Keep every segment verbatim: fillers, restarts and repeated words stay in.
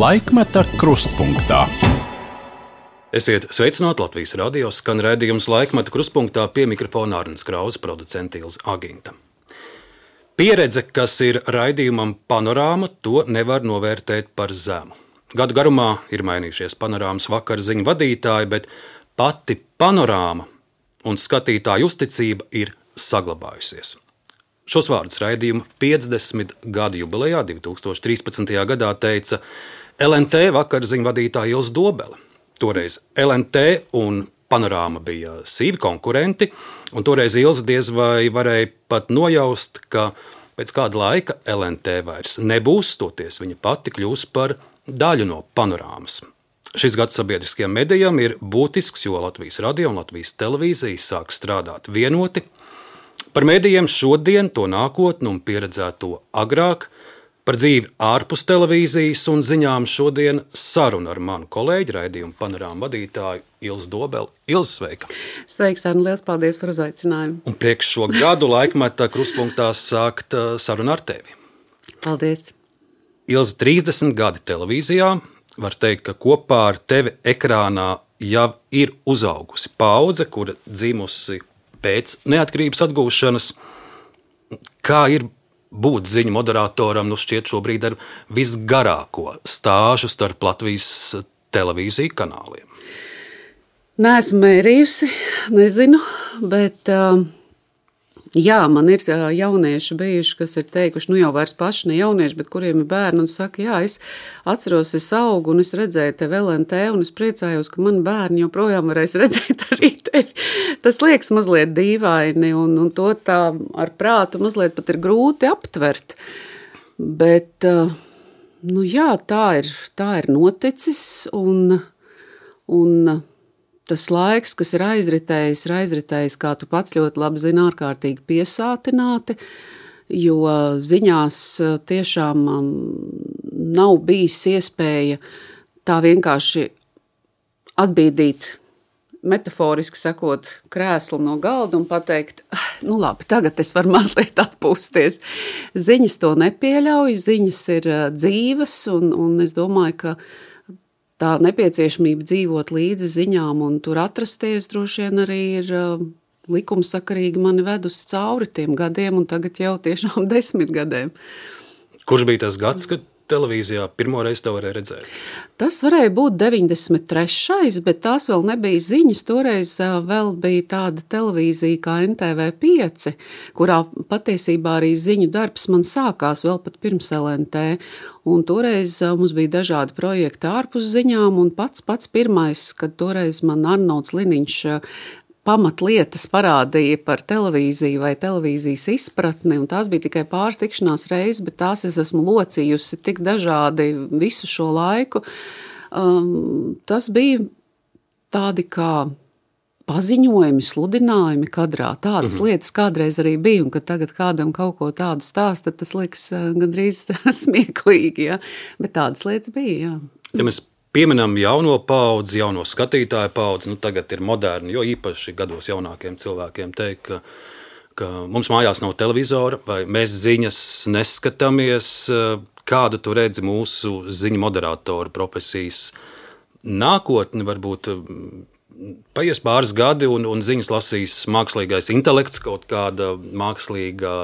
Laikmeta krustpunktā. Esiet sveicināti Latvijas radio, skan raidījums Laikmeta krustpunktā, pie mikrofona Arnis Krauss, producente Ilze Aginta. Pieredze, kas ir raidījumam Panorāma, to nevar novērtēt par zemu. Gadu garumā ir mainījušies Panorāmas vakara ziņu vadītāji, bet pati Panorāma un skatītāju uzticība ir saglabājusies. Šos vārdus raidījuma piecdesmit gadu jubilejā divi tūkstoši trīspadsmitajā gadā teica L N T vakara ziņu vadītāja Ilze Dobele. Toreiz L N T un Panorāma bija sīvi konkurenti, un toreiz Ilze diez vai varēja pat nojaust, ka pēc kāda laika L N T vairs nebūs, toties viņa pati kļūs par daļu no Panorāmas. Šis gads sabiedriskajam medijam ir būtisks, jo Latvijas radio un Latvijas televīzija sāk strādāt vienoti. Par medijiem šodien, to nākotni un pieredzēto agrāk, par dzīvi ārpus televīzijas un ziņām šodien saruna ar manu kolēģi, raidījumu Panorāma vadītāju Ilze Dobeli. Ilze, sveika! Sveiks, Arni, liels paldies par uzaicinājumu. Un priekš šo gadu Laikmeta krustpunktā sākt sarunu ar tevi. Paldies! Ilze, trīsdesmit gadi televīzijā, var teikt, ka kopā ar tevi ekrānā jau ir uzaugusi paudze, kura dzimusi pēc neatkarības atgūšanas. Kā ir būt ziņu moderatoram, nu šķiet šobrīd ar visgarāko stāžu starp Latvijas televīziju kanāliem? Neesmu mērījusi, nezinu, bet uh, jā, man ir jaunieši bijuši, kas ir teikuši, nu jau vairs paši ne jaunieši, bet kuriem ir bērni, un saka, jā, es atceros, es augu, un es redzēju tevi L N T, un es priecājos, ka mani bērni joprojām varēs redzēt arī tevi. Tas liekas mazliet dīvaini, un, un to tā ar prātu mazliet pat ir grūti aptvert. Bet, nu jā, tā ir, tā ir noticis, un, un tas laiks, kas ir aizritējis, ir aizritējis, kā tu pats ļoti labi zini, ārkārtīgi piesātināti, jo ziņās tiešām nav bijis iespēja tā vienkārši atbīdīt, metaforiski sakot, krēslu no galda un pateikt, nu labi, tagad es varu mazliet atpūsties. Ziņas to nepieļauj, ziņas ir dzīves, un, un es domāju, ka tā nepieciešamība dzīvot līdzi ziņām un tur atrasties droši vien arī ir uh, likumsakarīgi mani vedusi cauri tiem gadiem un tagad jau tiešām desmit gadiem. Kurš bija tas gads, kad televīzijā pirmoreiz to varēja redzēt? Tas varēja būt deviņdesmit trešais, bet tās vēl nebija ziņas. Toreiz uh, vēl bija tāda televīzija kā N T V pieci, kurā patiesībā arī ziņu darbs man sākās vēl pat pirms L N T. Un toreiz mums bija dažādi projekti ārpus ziņām, un pats pats pirmais, kad toreiz man Arnolds Liniņš pamatlietas parādīja par televīziju vai televīzijas izpratni, un tās bija tikai pāris tikšanās reizes, bet tās es esmu locījusi tik dažādi visu šo laiku. Um, tas bija tādi kā paziņojumi, sludinājumi kadrā. Tādas mm-hmm. lietas kādreiz arī bija, un kad tagad kādam kaut ko tādu stāst, tad tas liekas gandrīz smieklīgi, ja? Bet tādas lietas bija, jā. Ja mēs pieminam jauno paudzi, jauno skatītāju paudzi, nu tagad ir moderni, jo īpaši gados jaunākiem cilvēkiem teikt, ka, ka mums mājās nav televizora, vai mēs ziņas neskatāmies. Kādu tu redzi mūsu ziņu moderatoru profesijas nākotni, varbūt paies pāris gadi un, un ziņas lasīs mākslīgais intelekts, kaut kāda mākslīgā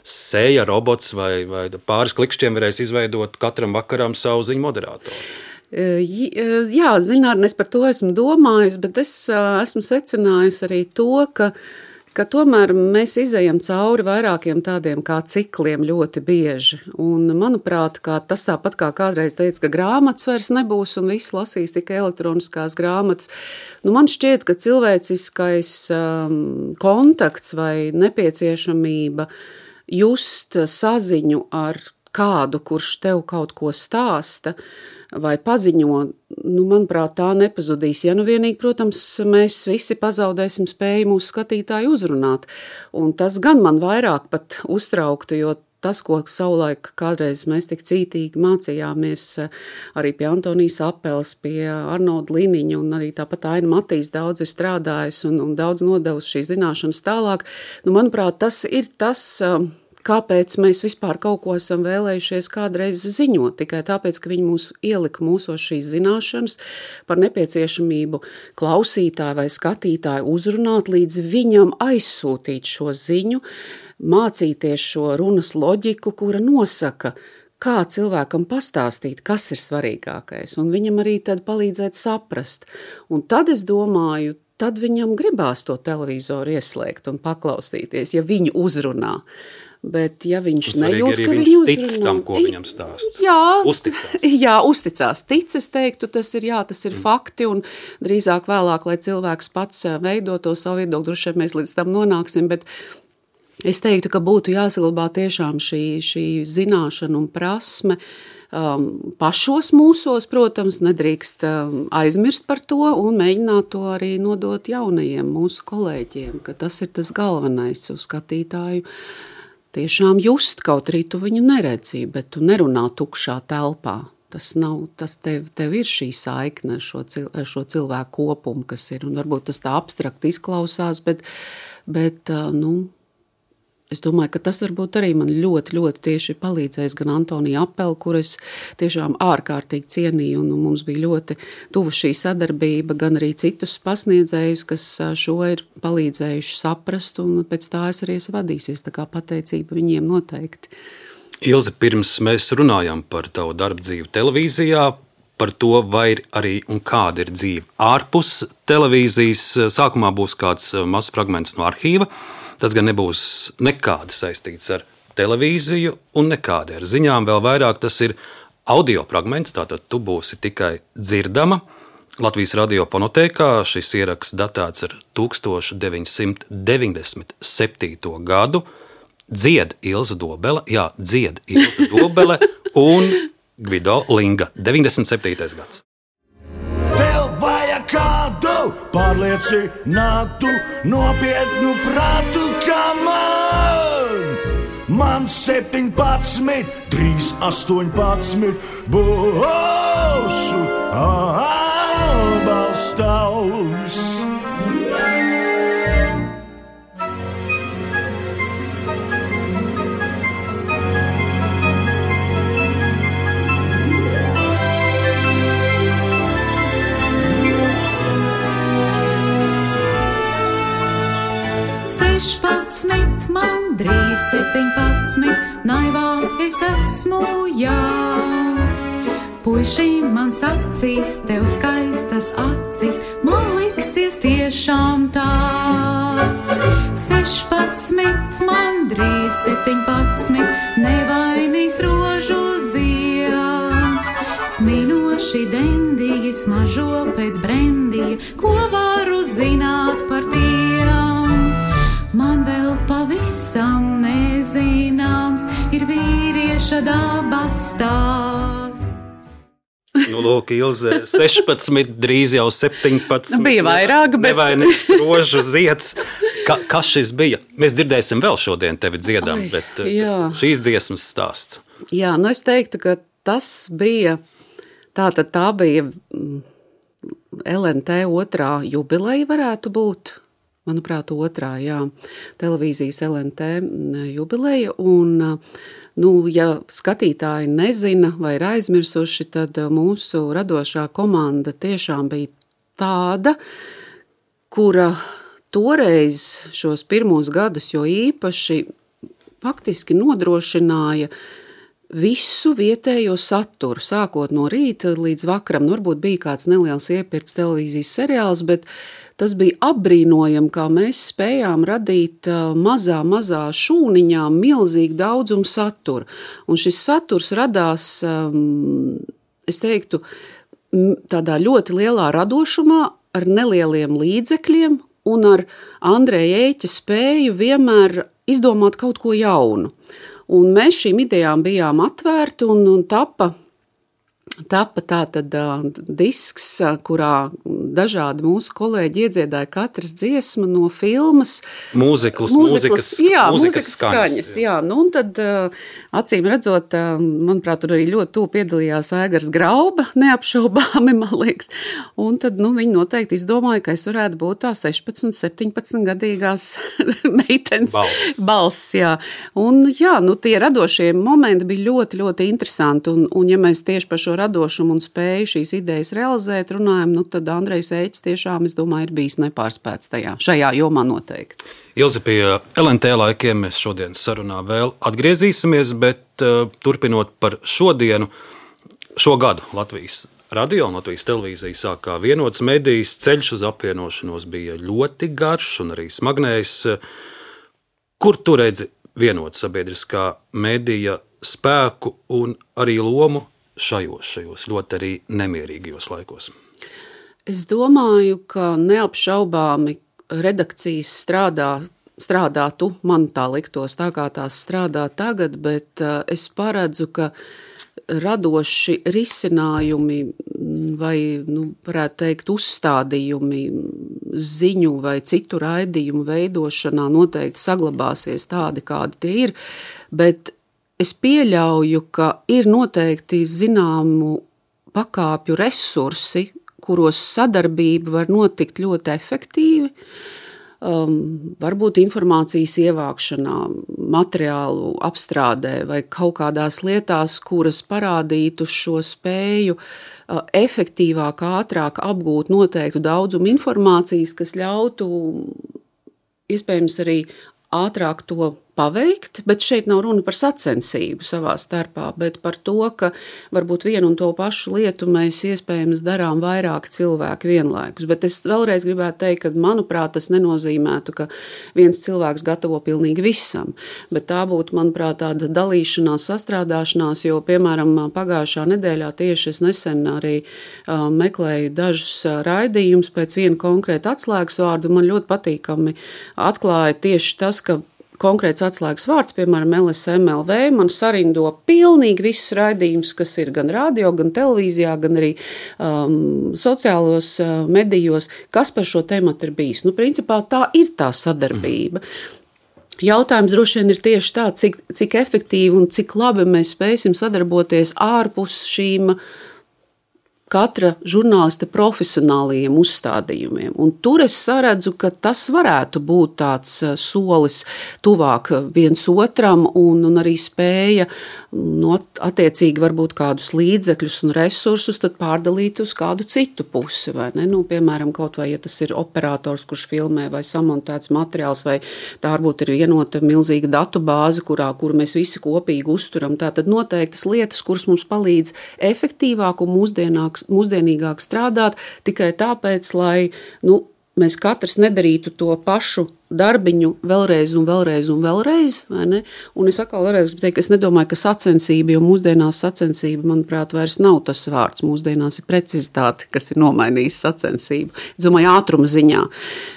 sēja robots vai, vai pāris klikšķiem varēs izveidot katram vakaram savu ziņu moderatoru? Jā, zinātnē, es par to esmu domājis, bet es esmu secinājusi arī to, ka, ka tomēr mēs izejam cauri vairākiem tādiem kā cikliem ļoti bieži. Un, manuprāt, kā tas tāpat kā kādreiz teica, ka grāmatas vairs nebūs un viss lasīs tikai elektroniskās grāmatas. Nu, man šķiet, ka cilvēciskais um, kontakts vai nepieciešamība just saziņu ar kādu, kurš tev kaut ko stāsta, vai paziņo, nu, manuprāt, tā nepazudīs. Ja nu vienīgi, protams, mēs visi pazaudēsim spēju mūsu skatītāju uzrunāt. Un tas gan man vairāk pat uztrauktu, jo tas, ko savulaik kādreiz mēs tik cītīgi mācījāmies arī pie Antonijas Apeles, pie Arnolda Liniņa, un arī tāpat Aina Matīs daudz ir strādājis un, un daudz nodevusi šīs zināšanas tālāk. Nu, manuprāt, tas ir tas, kāpēc mēs vispār kaut ko esam vēlējušies kādreiz ziņot, tikai tāpēc, ka viņi mūs ielika mūsos šīs zināšanas par nepieciešamību klausītāju vai skatītāju uzrunāt, līdz viņam aizsūtīt šo ziņu, mācīties šo runas loģiku, kura nosaka, kā cilvēkam pastāstīt, kas ir svarīgākais, un viņam arī tad palīdzēt saprast. Un tad es domāju, tad viņam gribās to televizoru ieslēgt un paklausīties, ja viņu uzrunā. Bet ja viņš nejūt, ka viņš viņu tic uzrunā, tam, ko viņam stāst. Jā, uzticās. Jā, uzticās. Tic, es teiktu, tas ir, jā, tas ir mm. fakti, un drīzāk vēlāk, lai cilvēks pats veido to savu viedokli, droši vien mēs līdz tam nonāksim, bet es teiktu, ka būtu jāsaglabā tiešām šī, šī zināšana un prasme, um, pašos mūsos, protams, nedrīkst um, aizmirst par to un mēģināt to arī nodot jaunajiem mūsu kolēģiem, ka tas ir tas galvenais uz skatītāju. Tiešām just, kaut arī tu viņu neredzi, bet tu nerunā tukšā telpā. Tas nav, tas tev, tev ir šī saikne ar šo, cil, ar šo cilvēku kopumu, kas ir, un varbūt tas tā abstrakt izklausās, bet, bet nu, es domāju, ka tas varbūt arī man ļoti, ļoti tieši palīdzējis gan Antonija Apeli, kur es tiešām ārkārtīgi cienīju, un mums bija ļoti tuva šī sadarbība, gan arī citus pasniedzējus, kas šo ir palīdzējuši saprast, un pēc tā es arī esmu vadīsies, tā kā pateicība viņiem noteikti. Ilze, pirms mēs runājam par tavu darbu dzīvi televīzijā, par to, vai ir arī un kāda ir dzīve ārpus televīzijas, sākumā būs kāds mazs fragments no arhīva. Tas gan nebūs nekādi saistīts ar televīziju un nekādi ar ziņām. Vēl vairāk tas ir audio fragments, tātad tu būsi tikai dzirdama. Latvijas radio fonotēkā šis ieraksts datēts ar tūkstoš deviņsimt deviņdesmit septīto gadu. Dzied Ilze Dobele, jā, dzied Ilze Dobele un Gvido Linga, deviņdesmit septītais gads. Kādu pārliecinātu, nopietnu prātu kā man. Man septiņpadsmit, drīz astoņpadsmit, būšu atbalstāvs. Sešpadsmit, man drīz septiņpadsmit, naivā es esmu, jā. Puiši mans acīs, tev skaistas acis, man liksies tiešām tā. Sešpadsmit, man drīz septiņpadsmit, nevainīgs rožu zieds. Sminoši dendīgi smažo pēc brendija, ko varu zināt par tiem. Man vēl pavisam nezināms ir vīrieša dabas stāsts. Nu, lūk, Ilze, sešpadsmit, drīz jau septiņpadsmit. Bija vairāk, bet... Nevainīgs rožu zieds. Ka, kas šis bija? Mēs dzirdēsim vēl šodien tevi dziedam, Ai, bet jā. Šīs dziesmas stāsts. Jā, nu es teiktu, ka tas bija, tātad tā bija L N T otrā jubileja varētu būt. Manuprāt, otrā, jā, televīzijas L N T jubileja, un, nu, ja skatītāji nezina vai ir aizmirsuši, tad mūsu radošā komanda tiešām bija tāda, kura toreiz šos pirmos gadus, jo īpaši faktiski nodrošināja visu vietējo saturu, sākot no rīta līdz vakaram. Nu, varbūt bija kāds neliels iepirkts televīzijas seriāls, bet tas bija apbrīnojami, kā mēs spējām radīt mazā, mazā šūniņā milzīgu daudzumu satura. Un šis saturs radās, es teiktu, tādā ļoti lielā radošumā, ar nelieliem līdzekļiem un ar Andreja Ēķa spēju vienmēr izdomāt kaut ko jaunu. Un mēs šīm idejām bijām atvērti un, un tapa Tapa tātad uh, disks, kurā dažādi mūsu kolēģi iedziedāja katras dziesmu no filmas. Mūziklas, mūzikas, jā, mūzikas mūzikas skaņas. skaņas jā. Jā. Nu, un tad, acīm redzot, manuprāt, tur arī ļoti tuvu piedalījās Aigars Grauba, neapšaubāmi, man liekas. Un tad, nu, viņi noteikti izdomāja, ka es varētu būt tā sešpadsmit, septiņpadsmit gadīgās meitenes balss. balss, jā. Un, jā, nu, tie radošie momenti bija ļoti, ļoti interesanti. Un, un ja mēs tieši par šo radošumu un spēju šīs idejas realizēt runājam, nu, tad Andrejs Ēķis tiešām, es domāju, ir bijis nepārspēts tajā, šajā jomā noteikti. Ilze, pie L N T laikiem mēs šodien sarunā vēl atgriezīsimies, bet uh, turpinot par šodienu, šo gadu Latvijas radio un Latvijas televīzija sāk kā vienots medijs, ceļš uz apvienošanos bija ļoti garš un arī smagnējs. Kur tu redzi vienot sabiedriskā medija spēku un arī lomu šajos, šajos ļoti arī nemierīgajos laikos? Es domāju, ka neapšaubāmi redakcijas strādā, strādātu, man tā liktos, tā kā tās strādā tagad, bet es paredzu, ka radoši risinājumi vai, nu, varētu teikt, uzstādījumi ziņu vai citu raidījumu veidošanā noteikti saglabāsies tādi, kādi tie ir, bet es pieļauju, ka ir noteikti zināmu pakāpju resursi, kuros sadarbība var notikt ļoti efektīvi, um, varbūt informācijas ievākšanā, materiālu apstrādē vai kaut kādās lietās, kuras parādītu šo spēju uh, efektīvāk, ātrāk apgūt noteiktu daudzumu informācijas, kas ļautu iespējams arī ātrāk to paveikt, bet šeit nav runa par sacensību savā starpā, bet par to, ka varbūt vienu un to pašu lietu mēs iespējams darām vairāk cilvēku vienlaikus. Bet es vēlreiz gribētu teikt, ka, manuprāt, tas nenozīmētu, ka viens cilvēks gatavo pilnīgi visam, bet tā būtu, manuprāt, tāda dalīšanās, sastrādāšanās, jo, piemēram, pagājušā nedēļā tieši es nesen arī uh, meklēju dažus raidījumus pēc viena konkrēta atslēgas vārdu, man ļoti patīkami atklāja tieši tas, ka konkrēts atslēgas vārds, piemēram, L S M L V, man sarindo pilnīgi visus raidījumus, kas ir gan radio, gan televīzijā, gan arī um, sociālos uh, medijos, kas par šo tematu ir bijis. Nu, principā tā ir tā sadarbība. Jautājums droši vien ir tieši tā, cik, cik efektīvi un cik labi mēs spēsim sadarboties ārpus šīm katra žurnālista profesionālajiem uzstādījumiem. Un tur es saredzu, ka tas varētu būt tāds solis tuvāk viens otram un, un arī spēja no attiecīgi varbūt kādus līdzekļus un resursus tad pārdalīt uz kādu citu pusi. Vai ne? Nu, piemēram, kaut vai, ja tas ir operators, kurš filmē vai samontēts materiāls, vai tā varbūt ir vienota milzīga datu bāze, kurā, kuru mēs visi kopīgi uzturam. Tā tad noteiktas lietas, kuras mums palīdz efektīvāk un mūsdienāks mūsdienīgāk strādāt, tikai tāpēc, lai nu, mēs katrs nedarītu to pašu darbiņu vēlreiz un vēlreiz un vēlreiz, vai ne? Un es atkal vēlreiz teikt, ka es nedomāju, ka sacensība, jo mūsdienās sacensība, manuprāt, vairs nav tas vārds. Mūsdienās ir precizitāte, kas ir nomainījis sacensību. Es domāju, ātruma ziņā.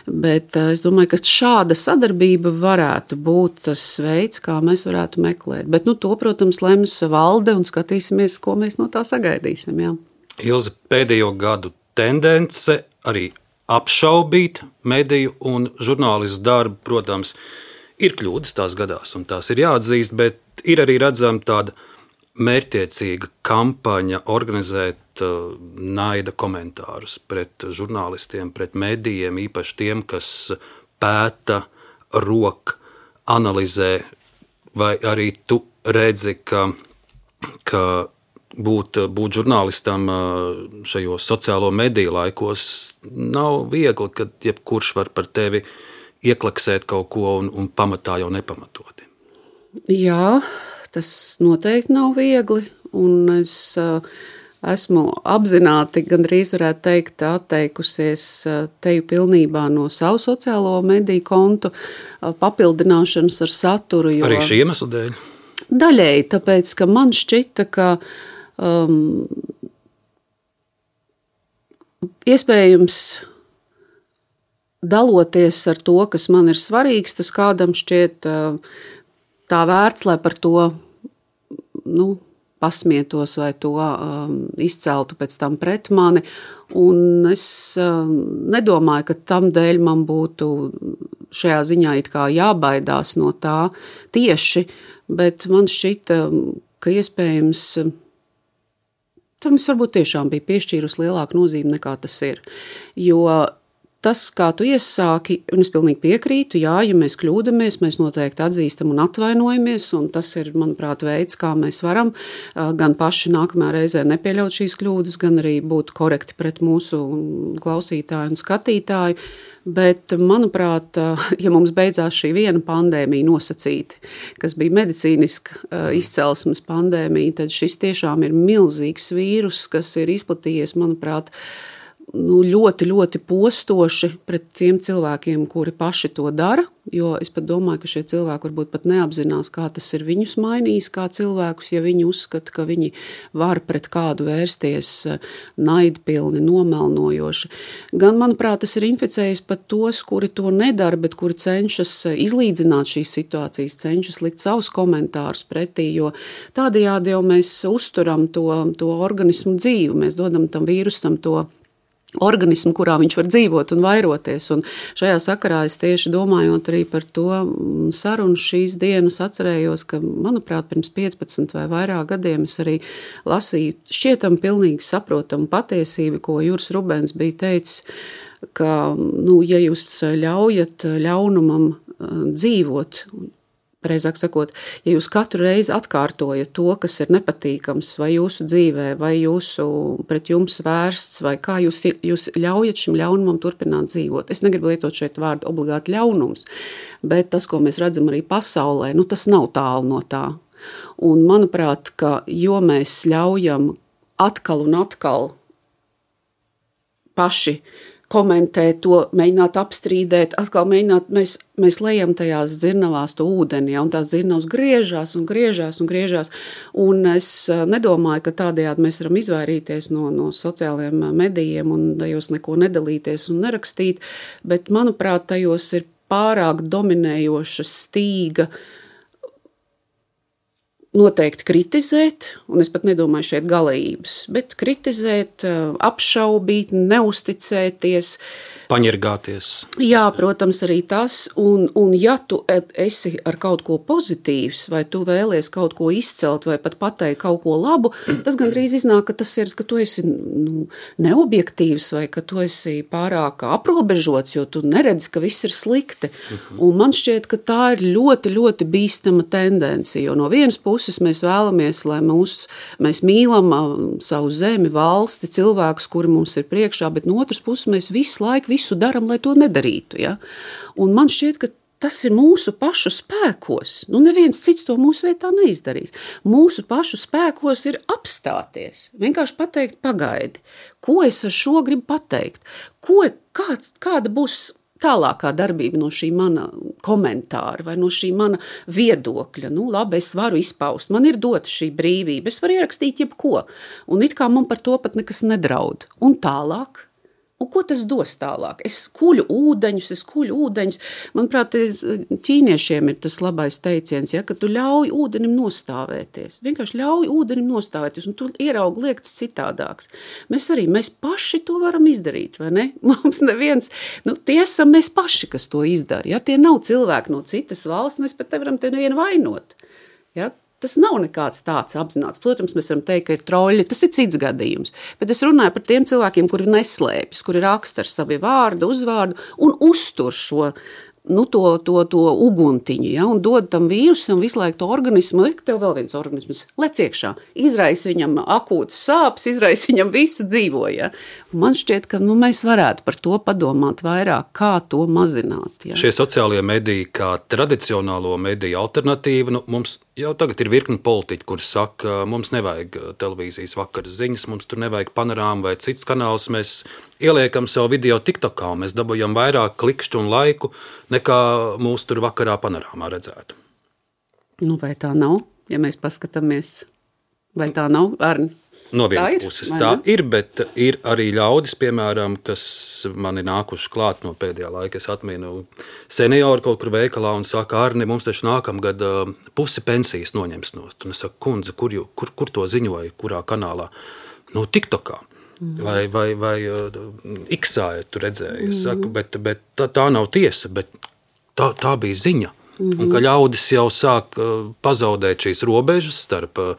Bet es domāju, ka šāda sadarbība varētu būt tas veids, kā mēs varētu meklēt. Bet nu, to, protams, lems valde un skatīsimies, ko mēs no tā sagaidīsim. Jā. Ilze, pēdējo gadu tendence arī apšaubīt mediju un žurnālistu darbu, protams, ir kļūdas, tās gadās un tās ir jāatzīst, bet ir arī redzama tāda mērķtiecīga kampaņa organizēt uh, naida komentārus pret žurnālistiem, pret medijiem, īpaši tiem, kas pēta, rok, analizē, vai arī tu redzi, ka, ka Būt, būt žurnālistam šajos sociālo mediju laikos nav viegli, kad jebkurš var par tevi ieklaksēt kaut ko un, un pamatā jau nepamatoti. Jā, tas noteikti nav viegli, un es esmu apzināti, gandrīz varētu teikt, atteikusies teju pilnībā no savu sociālo mediju kontu papildināšanas ar saturu. Jo... Arī šī iemesla dēļ? Daļēji, tāpēc, ka man šķita, ka Um, iespējams daloties ar to, kas man ir svarīgs, tas kādam šķiet uh, tā vērts, lai par to nu, pasmietos vai to um, izceltu pēc tam pret mani. Un es um, nedomāju, ka tam dēļ man būtu šajā ziņā it kā jābaidās no tā tieši, bet man šķita, ka iespējams tam es varbūt tiešām biju piešķīrusi lielāku nozīmi nekā tas ir. Jo tas, kā tu iesāki, un es pilnīgi piekrītu, jā, ja mēs kļūdamies, mēs noteikti atzīstam un atvainojamies, un tas ir, manuprāt, veids, kā mēs varam gan paši nākamā reizē nepieļaut šīs kļūdas, gan arī būt korekti pret mūsu klausītāju un skatītāju. Bet, manuprāt, ja mums beidzās šī viena pandēmija nosacīti, kas bija medicīniska izcelsmes pandēmija, tad šis tiešām ir milzīgs vīrus, kas ir izplatījies, manuprāt, nu, ļoti, ļoti postoši pret tiem cilvēkiem, kuri paši to dara, jo es pat domāju, ka šie cilvēki varbūt pat neapzinās, kā tas ir viņus mainījis kā cilvēkus, ja viņi uzskata, ka viņi var pret kādu vērsties naidpilni, nomelnojoši. Gan, manuprāt, tas ir inficējis pat tos, kuri to nedara, bet kuri cenšas izlīdzināt šīs situācijas, cenšas likt savus komentārus pretī, jo tādējādi jau mēs uzturam to, to organismu dzīvu, mēs dodam tam vīrusam to organismu, kurā viņš var dzīvot un vairoties. Un šajā sakarā es tieši domājot arī par to sarunu šīs dienas atcerējos, ka, manuprāt, pirms piecpadsmit vai vairāk gadiem es arī lasīju šķietam pilnīgi saprotamu patiesību, ko Juris Rubens bija teicis, ka, nu, ja jūs ļaujat ļaunumam dzīvot, pareizāk sakot, ja jūs katru reizi atkārtojat to, kas ir nepatīkams vai jūsu dzīvē, vai jūsu pret jums vērsts, vai kā jūs, jūs ļaujat šim ļaunumam turpināt dzīvot. Es negribu lietot šeit vārdu obligāti ļaunums, bet tas, ko mēs redzam arī pasaulē, nu, tas nav tālu no tā. Un manuprāt, ka jo mēs ļaujam atkal un atkal paši komentēt to, mēģināt apstrīdēt, atkal mēģināt, mēs, mēs lejam tajās dzirnavās to ūdeni, ja, un tās dzirnavas griežās un griežās un griežās, un es nedomāju, ka tādējādi mēs varam izvairīties no, no sociālajiem medijiem un tajos neko nedalīties un nerakstīt, bet, manuprāt, tajos ir pārāk dominējoša stīga noteikti kritizēt, un es pat nedomāju šeit galējības, bet kritizēt, apšaubīt, neusticēties. Paņirgāties. Jā, protams, arī tas, un, un ja tu esi ar kaut ko pozitīvs, vai tu vēlies kaut ko izcelt, vai pat pateikt kaut ko labu, tas gandrīz iznāk, ka tas ir, ka tu esi nu, neobjektīvs, vai ka tu esi pārāk aprobežots, jo tu neredzi, ka viss ir slikti. Uh-huh. Un man šķiet, ka tā ir ļoti, ļoti bīstama tendence, jo no vienas puses mēs vēlamies, lai mūs, mēs mīlam savu zemi, valsti, cilvēkus, kuri mums ir priekšā, bet no otras puses mēs visu laiku visu daram, lai to nedarītu. Ja? Un man šķiet, ka tas ir mūsu pašu spēkos. Nu, neviens cits to mūsu vietā neizdarīs. Mūsu pašu spēkos ir apstāties. Vienkārši pateikt pagaidi. Ko es ar šo gribu pateikt? Ko, kā, kāda būs tālākā darbība no šī mana komentāra vai no šī mana viedokļa? Nu, labi, es varu izpaust. Man ir dota šī brīvība. Es varu ierakstīt jebko. Un it kā man par to pat nekas nedraud. Un tālāk? Un ko tas dos tālāk? Es kuļu ūdeņus, es kuļu ūdeņus. Manuprāt, ķīniešiem ir tas labais teiciens, ja, ka tu ļauj ūdenim nostāvēties. Vienkārši ļauj ūdenim nostāvēties, un tu ieraugi liekts citādāks. Mēs arī, mēs paši to varam izdarīt, vai ne? Mums neviens, nu, tie esam mēs paši, kas to izdara. Ja? Tie nav cilvēki no citas valsts, mēs pat nevaram te nevienu vainot. Ja? Tas nav nekāds tāds apzināts. Protams, mēs varam teikt, ka ir troļi, tas ir cits gadījums. Bet es runāju par tiem cilvēkiem, kuri neslēpjas, kuri raksta ar savu vārdu, uzvārdu un uztur šo, nu, to, to, to uguntiņu, ja, un dod tam vīrusam visu laiku to organismu, ir tev vēl viens organisms, lec iekšā, izraisa viņam akūtas sāpes, izraisa viņam visu dzīvo, ja. Man šķiet, ka nu, mēs varētu par to padomāt vairāk, kā to mazināt. Ja. Šie sociālie mediji kā tradicionālo mediju alternatīva, nu, mums jau tagad ir virkni politiķi, kuri saka, mums nevajag televīzijas vakaras ziņas, mums tur nevajag panorāmu vai cits kanāls, mēs ieliekam savu video TikTokā un mēs dabujam vairāk klikšķu un laiku, nekā mūs tur vakarā panorāmā redzētu. Nu, vai tā nav, ja mēs paskatāmies? Vai tā nav, Arni? No vienas Tā ir, puses vai tā ne? ir, bet ir arī ļaudis, piemēram, kas man ir nākuši klāt no pēdējā laika. Es atminu seniori kaut kur veikalā un saka, Arni, mums taču nākamgad uh, pusi pensijas noņems nost. Un es saku, kundze, kur, jū, kur, kur to ziņoja, kurā kanālā? No TikTokā. Mm. Vai, vai, vai uh, X-ā tu redzēji. Es saku, bet, bet tā, tā nav tiesa, bet tā, tā bija ziņa. Mm-hmm. Un ka ļaudis jau sāk uh, pazaudēt šīs robežas starp uh,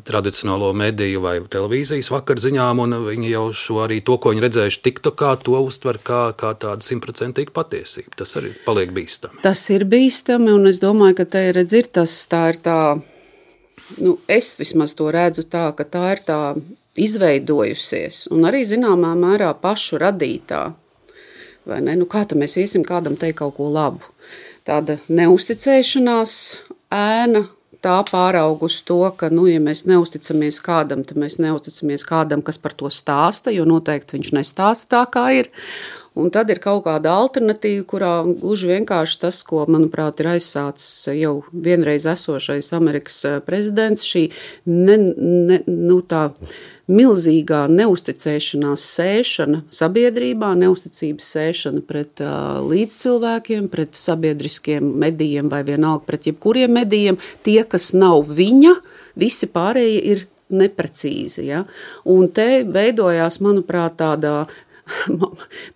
tradicionālo mediju vai televīzijas vakarziņām, un viņi jau šo arī to, ko viņi redzējuši TikTokā, to uztver kā, kā tādu simtprocentīgu patiesību. Tas arī paliek bīstami. Tas ir bīstami, un es domāju, ka te redz ir tas, tā ir tā, nu, es vismaz to redzu tā, ka tā ir tā izveidojusies, un arī zināmā mērā pašu radītā. Vai ne? Nu, kā tad mēs iesim kādam teikt kaut ko labu? Tāda neusticēšanās ēna, tā pāraug uz to, ka, nu, ja mēs neusticamies kādam, tad mēs neusticamies kādam, kas par to stāsta, jo noteikti viņš nestāsta tā, kā ir. Un tad ir kaut kāda alternatīva, kurā gluži vienkārši tas, ko, manuprāt, ir aizsācis jau vienreiz esošais Amerikas prezidents, šī ne, ne, nu, tā milzīgā neusticēšanās sēšana sabiedrībā, neusticības sēšana pret uh, līdzcilvēkiem, pret sabiedriskiem medijiem vai vienalga pret jebkuriem medijiem, tie, kas nav viņa, visi pārējie ir neprecīzi. Ja? Un te veidojās, manuprāt, tādā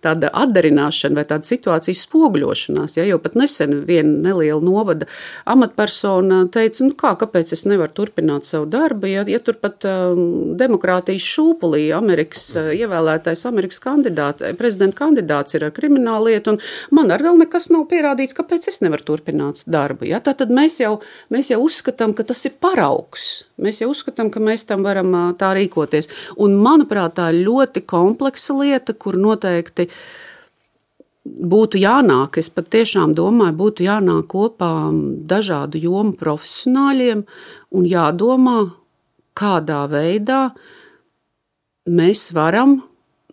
tāda atdarināšana vai tāda situācijas spoguļošanās. Ja, jo pat nesen viena neliela novada amatpersona teica, nu kā, kāpēc es nevaru turpināt savu darbu, ja, ja tur pat um, demokrātijas šūpulī Amerikas uh, ievēlētais Amerikas kandidāts, prezidenta kandidāts ir ar kriminālu lietu, un man ar vēl nekas nav pierādīts, kāpēc es nevaru turpināt darbu. Ja. Tātad mēs jau, mēs jau uzskatām, ka tas ir paraugs. Mēs jau uzskatām, ka mēs tam varam uh, tā rīkoties. Un, manuprāt, tā ir ļoti kompleksa lieta, kur noteikti būtu jānāk, es pat tiešām domāju, būtu jānāk kopā dažādu jomu profesionāļiem un jādomā, kādā veidā mēs varam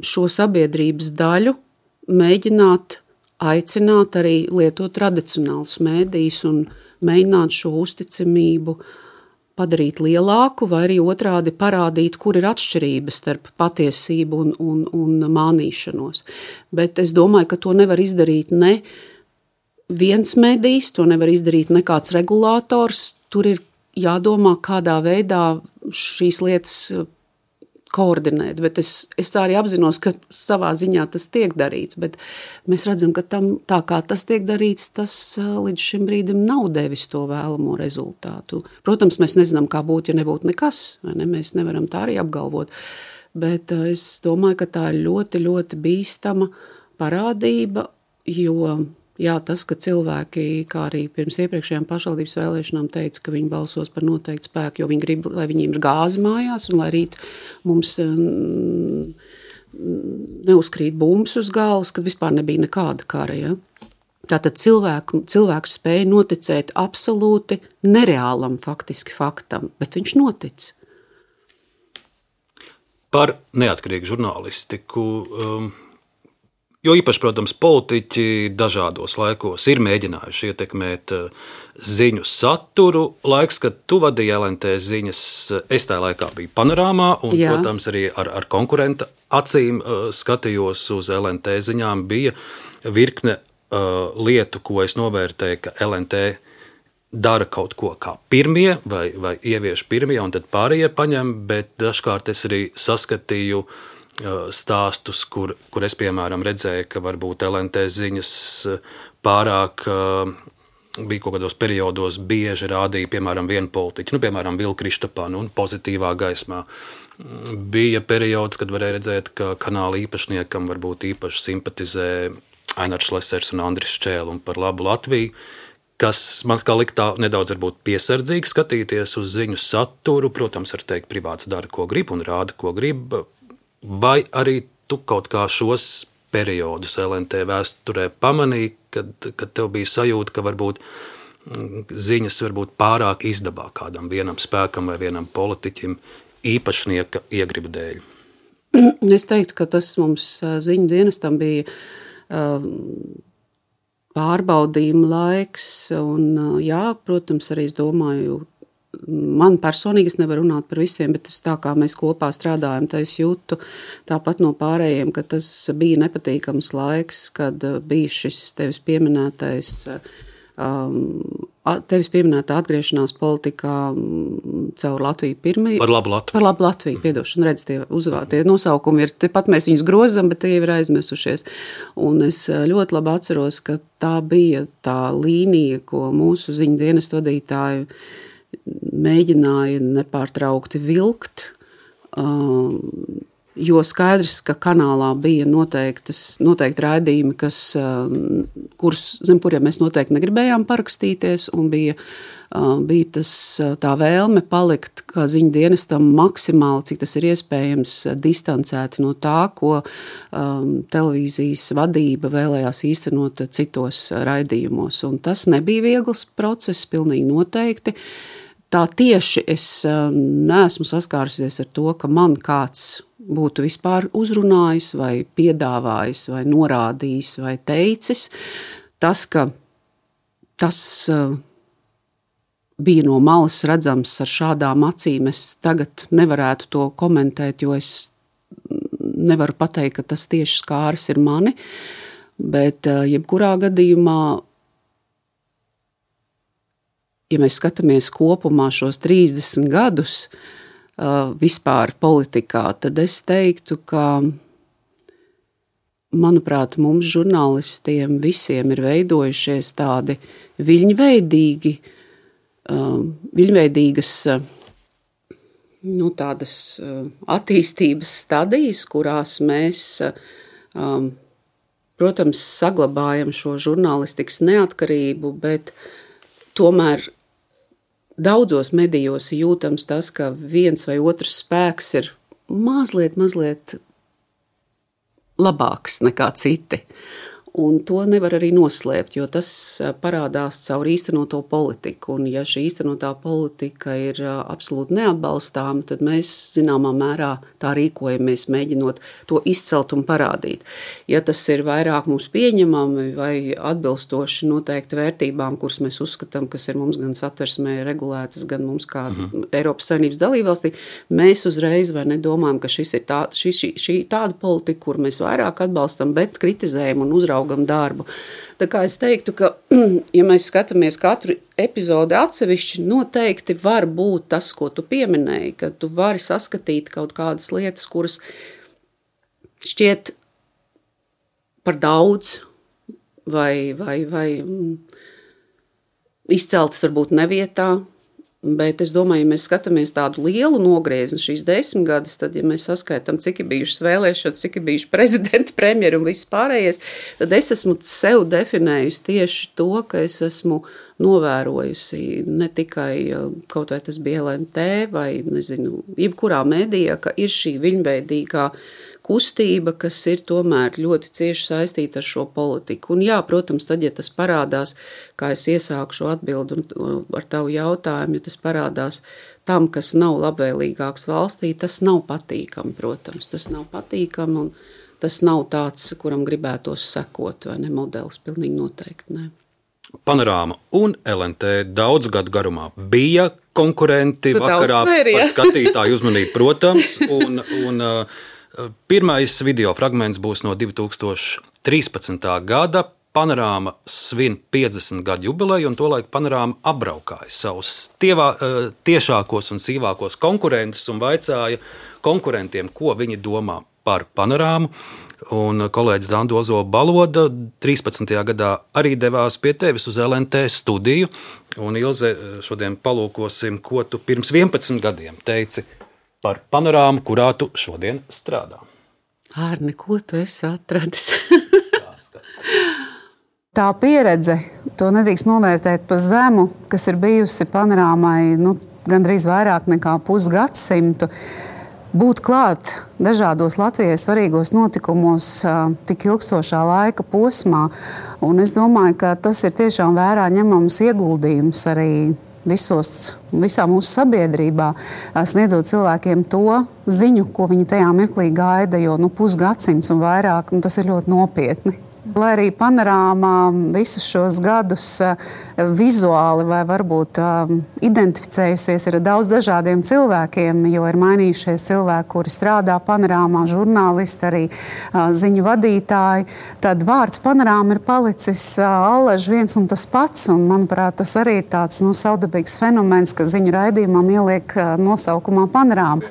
šo sabiedrības daļu mēģināt aicināt arī lietot tradicionālus mēdījus un mēģināt šo uzticamību padarīt lielāku, vai arī otrādi parādīt, kur ir atšķirības starp patiesību un, un, un mānīšanos. Bet es domāju, ka to nevar izdarīt ne viens medijs, to nevar izdarīt ne kāds regulators. Tur ir jādomā, kādā veidā šīs lietas koordinēt. Bet es, es arī apzinos, ka savā ziņā tas tiek darīts, bet mēs redzam, ka tam, tā kā tas tiek darīts, tas līdz šim brīdim nav devis to vēlamo rezultātu. Protams, mēs nezinām, kā būtu, ja nebūtu nekas, vai ne? Mēs nevaram tā arī apgalvot, bet es domāju, ka tā ir ļoti, ļoti bīstama parādība, jo jā, tas, ka cilvēki, kā arī pirms iepriekšējām pašvaldības vēlēšanām teica, ka viņi balsos par noteiktu spēku, jo viņi grib, lai viņiem ir gāzi mājās un lai rīt mums mm, neuzkrīt bumbas uz galvas, kad vispār nebija nekāda kara. Ja? Tātad cilvēku, cilvēks spēja noticēt absolūti nereālam faktiski faktam, bet viņš notic. Par neatkarīgu žurnālistiku. Um... Jo īpaši, protams, politiķi dažādos laikos ir mēģinājuši ietekmēt ziņu saturu. Laiks, kad tu vadīji L N T ziņas, es tajā laikā biju Panorāmā, un, Jā. protams, arī ar, ar konkurenta acīm skatījos uz L N T ziņām. Bija virkne uh, lietu, ko es novērtēju, ka L N T dara kaut ko kā pirmie vai, vai ievieš pirmie, un tad pārējie paņem, bet dažkārt es arī saskatīju stāstus, kur, kur es, piemēram, redzēju, ka varbūt L N T ziņas pārāk bija kaut kādos periodos bieži rādīja, piemēram, vienu politiķu, nu, piemēram, Vilku Kristapanu, un pozitīvā gaismā. Bija periods, kad varēja redzēt, ka kanāla īpašniekam varbūt īpaši simpatizē Ainars Lesers un Andris Šķēle, un par labu Latviju, kas man kā liktā nedaudz varbūt piesardzīgi skatīties uz ziņu saturu. Protams, var teikt, privāts dara, ko grib, un rāda, ko grib. Vai arī tu kaut kā šos periodus L N T vēsturē pamanīji, kad, kad tev bija sajūta, ka varbūt ziņas varbūt pārāk izdabā kādam vienam spēkam vai vienam politiķim īpašnieka iegribu dēļ? Es teiktu, ka tas mums ziņu dienestam bija pārbaudījuma laiks, un jā, protams, arī es domāju, man personīgi, es nevaru runāt par visiem, bet tas tā kā mēs kopā strādājam, tā es jūtu tāpat no pārējiem, ka tas bija nepatīkams laiks, kad bija šis tevis pieminētais, tevis pieminētā atgriešanās politikā caur Latviju pirmī. Par labu Latviju. Par labu Latviju, piedošanu, redz, tie uzvārdi, tie nosaukumi ir, tepat mēs viņus grozam, bet tie ir aizmesušies. Un es ļoti labi atceros, ka tā bija tā līnija, ko mūsu ziņu dienestu vadītāju mēģināja nepārtraukti vilkt, jo skaidrs, ka kanālā bija noteiktas, noteikti raidījumi, kas, kurus, zem kuriem mēs noteikti negribējām parakstīties, un bija, bija tas, tā vēlme palikt kā ziņu dienestam maksimāli, cik tas ir iespējams, distancēti no tā, ko um, televīzijas vadība vēlējās īstenot citos raidījumos. Un tas nebija viegls process, pilnīgi noteikti. Tā tieši es neesmu saskārusies ar to, ka man kāds būtu vispār uzrunājis vai piedāvājis vai norādījis vai teicis. Tas, ka tas bija no malas redzams ar šādām acīm, es tagad nevarētu to komentēt, jo es nevaru pateikt, ka tas tieši skāris ir mani, bet jebkurā gadījumā, ja mēs skatāmies kopumā šos trīsdesmit gadus uh, vispār politikā, tad es teiktu, ka, manuprāt, mums žurnālistiem visiem ir veidojušies tādi viļņveidīgi, uh, viļņveidīgas uh, nu, tādas uh, attīstības stadijas, kurās mēs, uh, protams, saglabājam šo žurnālistikas neatkarību, bet tomēr daudzos medijos jūtams tas, ka viens vai otrs spēks ir mazliet, mazliet labāks nekā citi. Un to nevar arī noslēpt, jo tas parādās caur īstenoto politiku. Un ja šī īstenotā politika ir absolūti neatbalstāma, tad mēs zināmā mērā tā rīkojamies, mēģinot to izcelt un parādīt. Ja tas ir vairāk mums pieņemami vai atbilstoši noteikti vērtībām, kuras mēs uzskatām, kas ir mums gan satversmē regulētas, gan mums kā uh-huh. Eiropas Savienības dalībvalstī, mēs uzreiz vai nedomājam, ka šis ir tā, šī, šī, šī tāda politika, kur mēs vairāk atbalstam, bet kritizējam un uzraugam darbu. Tā kā es teiktu, ka, ja mēs skatāmies katru epizodi atsevišķi, noteikti var būt tas, ko tu pieminēji, ka tu vari saskatīt kaut kādas lietas, kuras šķiet par daudz vai, vai, vai izceltas varbūt nevietā. Bet es domāju, ja mēs skatāmies tādu lielu nogriezni šīs desmit gadus, tad, ja mēs saskaitām, cik ir bijušas vēlēšanas, cik ir bijuši prezidenti, premjeri un viss pārējais, tad es esmu sev definējusi tieši to, ka es esmu novērojusi ne tikai kaut vai tas bija L N T vai, nezinu, jebkurā medijā, ka ir šī viļņveidīgā kustība, kas ir tomēr ļoti cieši saistīta ar šo politiku. Un jā, protams, tad, ja tas parādās, kā es iesāku šo atbildu ar tavu jautājumu, ja tas parādās tam, kas nav labvēlīgāks valstī, tas nav patīkami, protams. Tas nav patīkami un tas nav tāds, kuram gribētos sekot, vai ne, modelis, pilnīgi noteikti, ne. Panorāma un L N T daudzu gadu garumā bija konkurenti tu vakarā uztver, par skatītāju uzmanību, protams, un, un pirmais video fragments būs no divi tūkstoši trīspadsmitā gada. Panorāma svin piecdesmit gadu jubileju, un tolaik Panorāma apbraukāja savus tievā, tiešākos un sīvākos konkurentus un vaicāja konkurentiem, ko viņi domā par Panorāmu. Un kolēģis Danda Ozola Baloda trīspadsmitajā gadā arī devās pie tevis uz L N T studiju. Un Ilze, šodien palūkosim, ko tu pirms vienpadsmit gadiem teici par Panorāmu, kurā tu šodien strādā. Ārne, ko tu esi atradis? Tā pieredze, to nedrīkst novērtēt pa zemu, kas ir bijusi Panorāmai nu, gandrīz vairāk nekā pusgadsimtu. Būt klāt dažādos Latvijai svarīgos notikumos tik ilgstošā laika posmā. Un es domāju, ka tas ir tiešām vērā ņemams ieguldījums arī visos, visā mūsu sabiedrībā, sniedzot cilvēkiem to ziņu, ko viņi tajā mirklī gaida, jo nu, pusgadsimts un vairāk, nu, tas ir ļoti nopietni. Lai arī panorāmā visus šos gadus vizuāli vai varbūt identificējusies ar daudz dažādiem cilvēkiem, jo ir mainījušies cilvēki, kuri strādā panorāmā, žurnālisti, arī ziņu vadītāji, tad vārds panorāma ir palicis allaž viens un tas pats. Un, manuprāt, tas arī ir tāds nu, savdabīgs fenomens, ka ziņu raidījumam ieliek nosaukumā panorāma.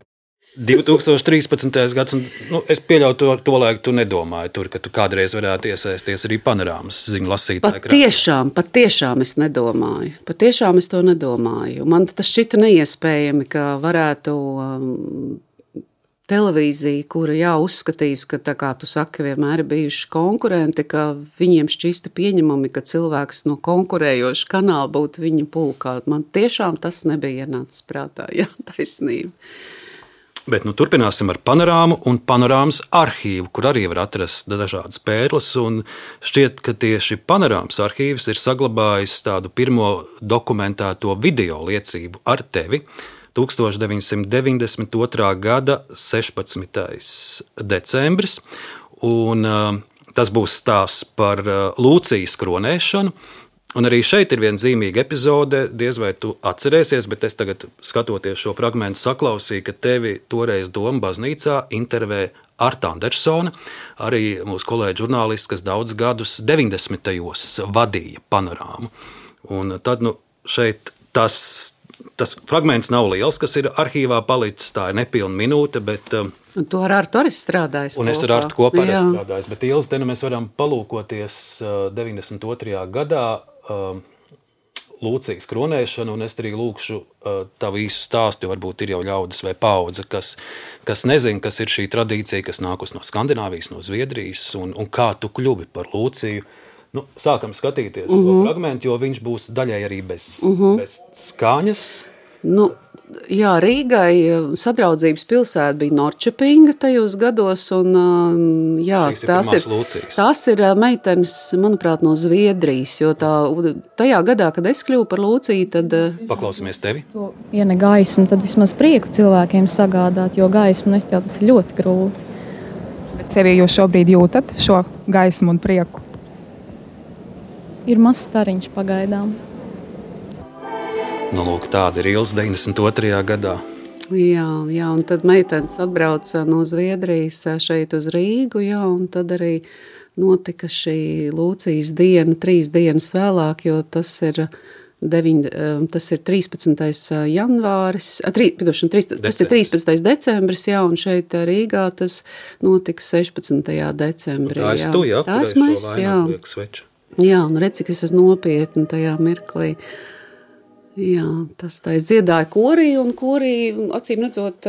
divi tūkstoši trīspadsmitais gads, un nu, es pieļauju to, to laiku, tu nedomāji tur, ka tu kādreiz varētu iesaisties arī panorāmas ziņu lasītāju. Pat tiešām, pat tiešām es nedomāju. Pat tiešām es to nedomāju. Man tas šķita neiespējami, ka varētu um, televīzija, kura jā, uzskatīs, ka, tā kā tu saki, vienmēr ir bijuši konkurenti, ka viņiem šķista pieņemami, ka cilvēks no konkurējoša kanāla būtu viņa pulkā. Man tiešām tas nebija ienācis prātā, jā, taisnība. Bet nu, turpināsim ar panorāmu un panorāmas arhīvu, kur arī var atrast dažādas pērles. Šķiet, ka tieši panorāmas arhīvs ir saglabājis tādu pirmo dokumentēto video liecību ar tevi. tuksstoš deviņsimt deviņdesmit otrā gada sešpadsmitais decembris. Un, uh, tas būs stāsts par uh, Lūcijas kronēšanu. Un arī šeit ir viena zīmīga epizode, diez vai tu atcerēsies, bet es tagad, skatoties šo fragmentu, saklausīju, ka tevi toreiz Doma baznīcā intervē Arta Andersone, arī mūsu kolēģi žurnālists, kas daudz gadus deviņdesmitajos vadīja panorāmu. Un tad nu, šeit tas, tas fragments nav liels, kas ir arhīvā palicis, tā ir nepilna minūte, bet... Un to ar Artu arī strādājis. Un es ar Artu kopā arī strādājis, bet Ilis, te nu mēs varam palūkoties deviņdesmit otrajā gadā Lūcijas kronēšanu, un es arī lūkšu tavu īsu stāstu, jo varbūt ir jau ļaudis vai paudze, kas, kas nezin, kas ir šī tradīcija, kas nākus no Skandināvijas, no Zviedrijas, un, un kā tu kļuvi par Lūciju. Nu, sākam skatīties mm-hmm. šo fragmentu, jo viņš būs daļai arī bez, mm-hmm. bez skaņas. Nu, jā, Rīgai sadraudzības pilsēta bija Norčepinga tajos gados, un jā, ir tās ir, tās ir meitenes, manuprāt, no Zviedrijas, jo tā, tajā gadā, kad es kļuvu par Lūciju, tad... Paklausamies tevi. Ja ne gaismu, tad vismaz prieku cilvēkiem sagādāt, jo gaismu nest jau tas ir ļoti grūti. Bet sevi jūs šobrīd jūtat šo gaismu un prieku? Ir mazs stariņš pagaidām. Nu, lūk, tāda ir Ilis deviņdesmit otrajā gadā. Jā, jā, un tad meitenes atbrauca no Zviedrijas šeit uz Rīgu, jā, un tad arī notika šī Lūcijas diena, trīs dienas vēlāk, jo tas ir, deviņ, tas ir trīspadsmitais janvāris, tri, pidošana, trīs, tas ir trīspadsmitais decembris, jā, un šeit Rīgā tas notika sešpadsmitajā decembrī. Tā es tu, jā, kurēs šo vainagu liek sveču. Jā, un redz, cik es esmu nopietni tajā mirklī. Jā, tas tā es dziedāju korī, un korī, acīm redzot,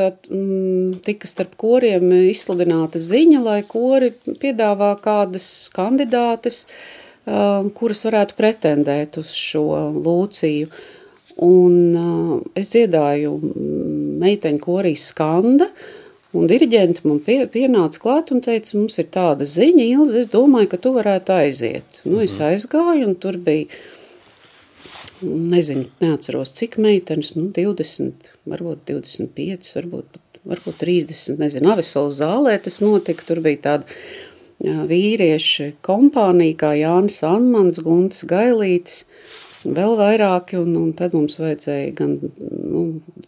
tika starp koriem izsludināta ziņa, lai kori piedāvā kādas kandidātes, kuras varētu pretendēt uz šo Lūciju. Un es dziedāju meiteņu korī Skanda, un diriģenti man pie, pienāca klāt un teica, mums ir tāda ziņa, Ilze, es domāju, ka tu varētu aiziet. Nu, es aizgāju, un tur bija... Nezinu, neatceros, cik meitenes, nu, divdesmit, varbūt divdesmit pieci, varbūt, varbūt trīsdesmit, nezinu, Avesola zālē tas notika, tur bija tāda jā, vīrieši kompānija, kā Jānis Anmans, Gunts Gailītis, vēl vairāki, un, un tad mums vajadzēja gan, nu,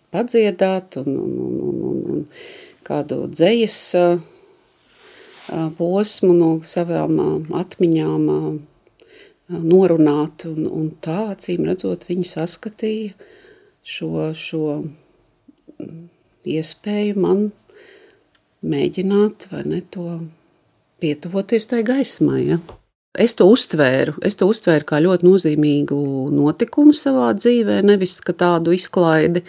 padziedāt, un, un, un, un, un, un kādu dzejas posmu no savām atmiņām norunāt, un, un tā, acīm redzot, viņi saskatīja šo, šo iespēju man mēģināt, vai ne, to pietuvoties tai gaismai, ja. Es to uztvēru, es to uztvēru kā ļoti nozīmīgu notikumu savā dzīvē, nevis ka tādu izklaidi,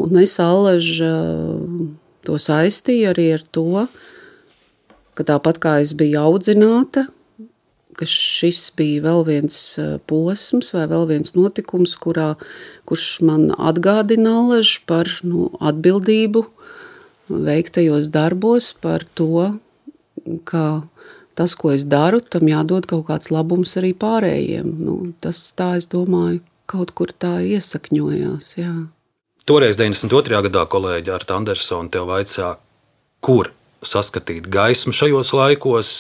un es allaž to saistīju arī ar to, ka tāpat kā es biju audzināta, ka šis bija vēl viens posms vai vēl viens notikums, kurā, kurš man atgādina allaž par nu, atbildību veiktajos darbos, par to, ka tas, ko es daru, tam jādod kaut kāds labums arī pārējiem. Nu, tas tā, es domāju, kaut kur tā iesakņojās, jā. Toreiz deviņdesmit otrajā gadā kolēģi Arta Andersone tev vaicā, kur saskatīt gaismu šajos laikos.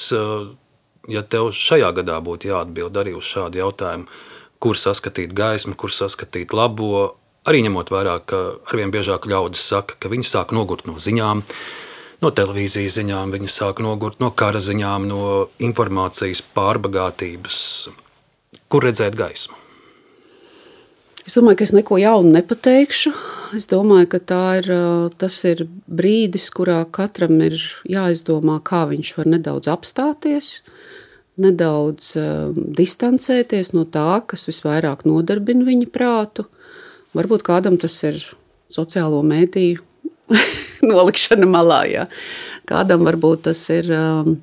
ja tev šajā gadā būtu jāatbild arī uz šādu jautājumu, kur saskatīt gaismu, kur saskatīt labo, arī ņemot vērā, ka arvien biežāk ļaudis saka, ka viņi sāk nogurt no ziņām, no televīzijas ziņām, viņi sāk nogurt no kara ziņām, no informācijas pārbagātības. Kur redzēt gaismu? Es domāju, ka es neko jaunu nepateikšu. Es domāju, ka tā ir, tas ir brīdis, kurā katram ir jāizdomā, kā viņš var nedaudz apstāties, nedaudz uh, distancēties no tā, kas visvairāk nodarbina viņa prātu. Varbūt kādam tas ir sociālo mēdīju nolikšana malā, jā. Kādam varbūt tas ir um,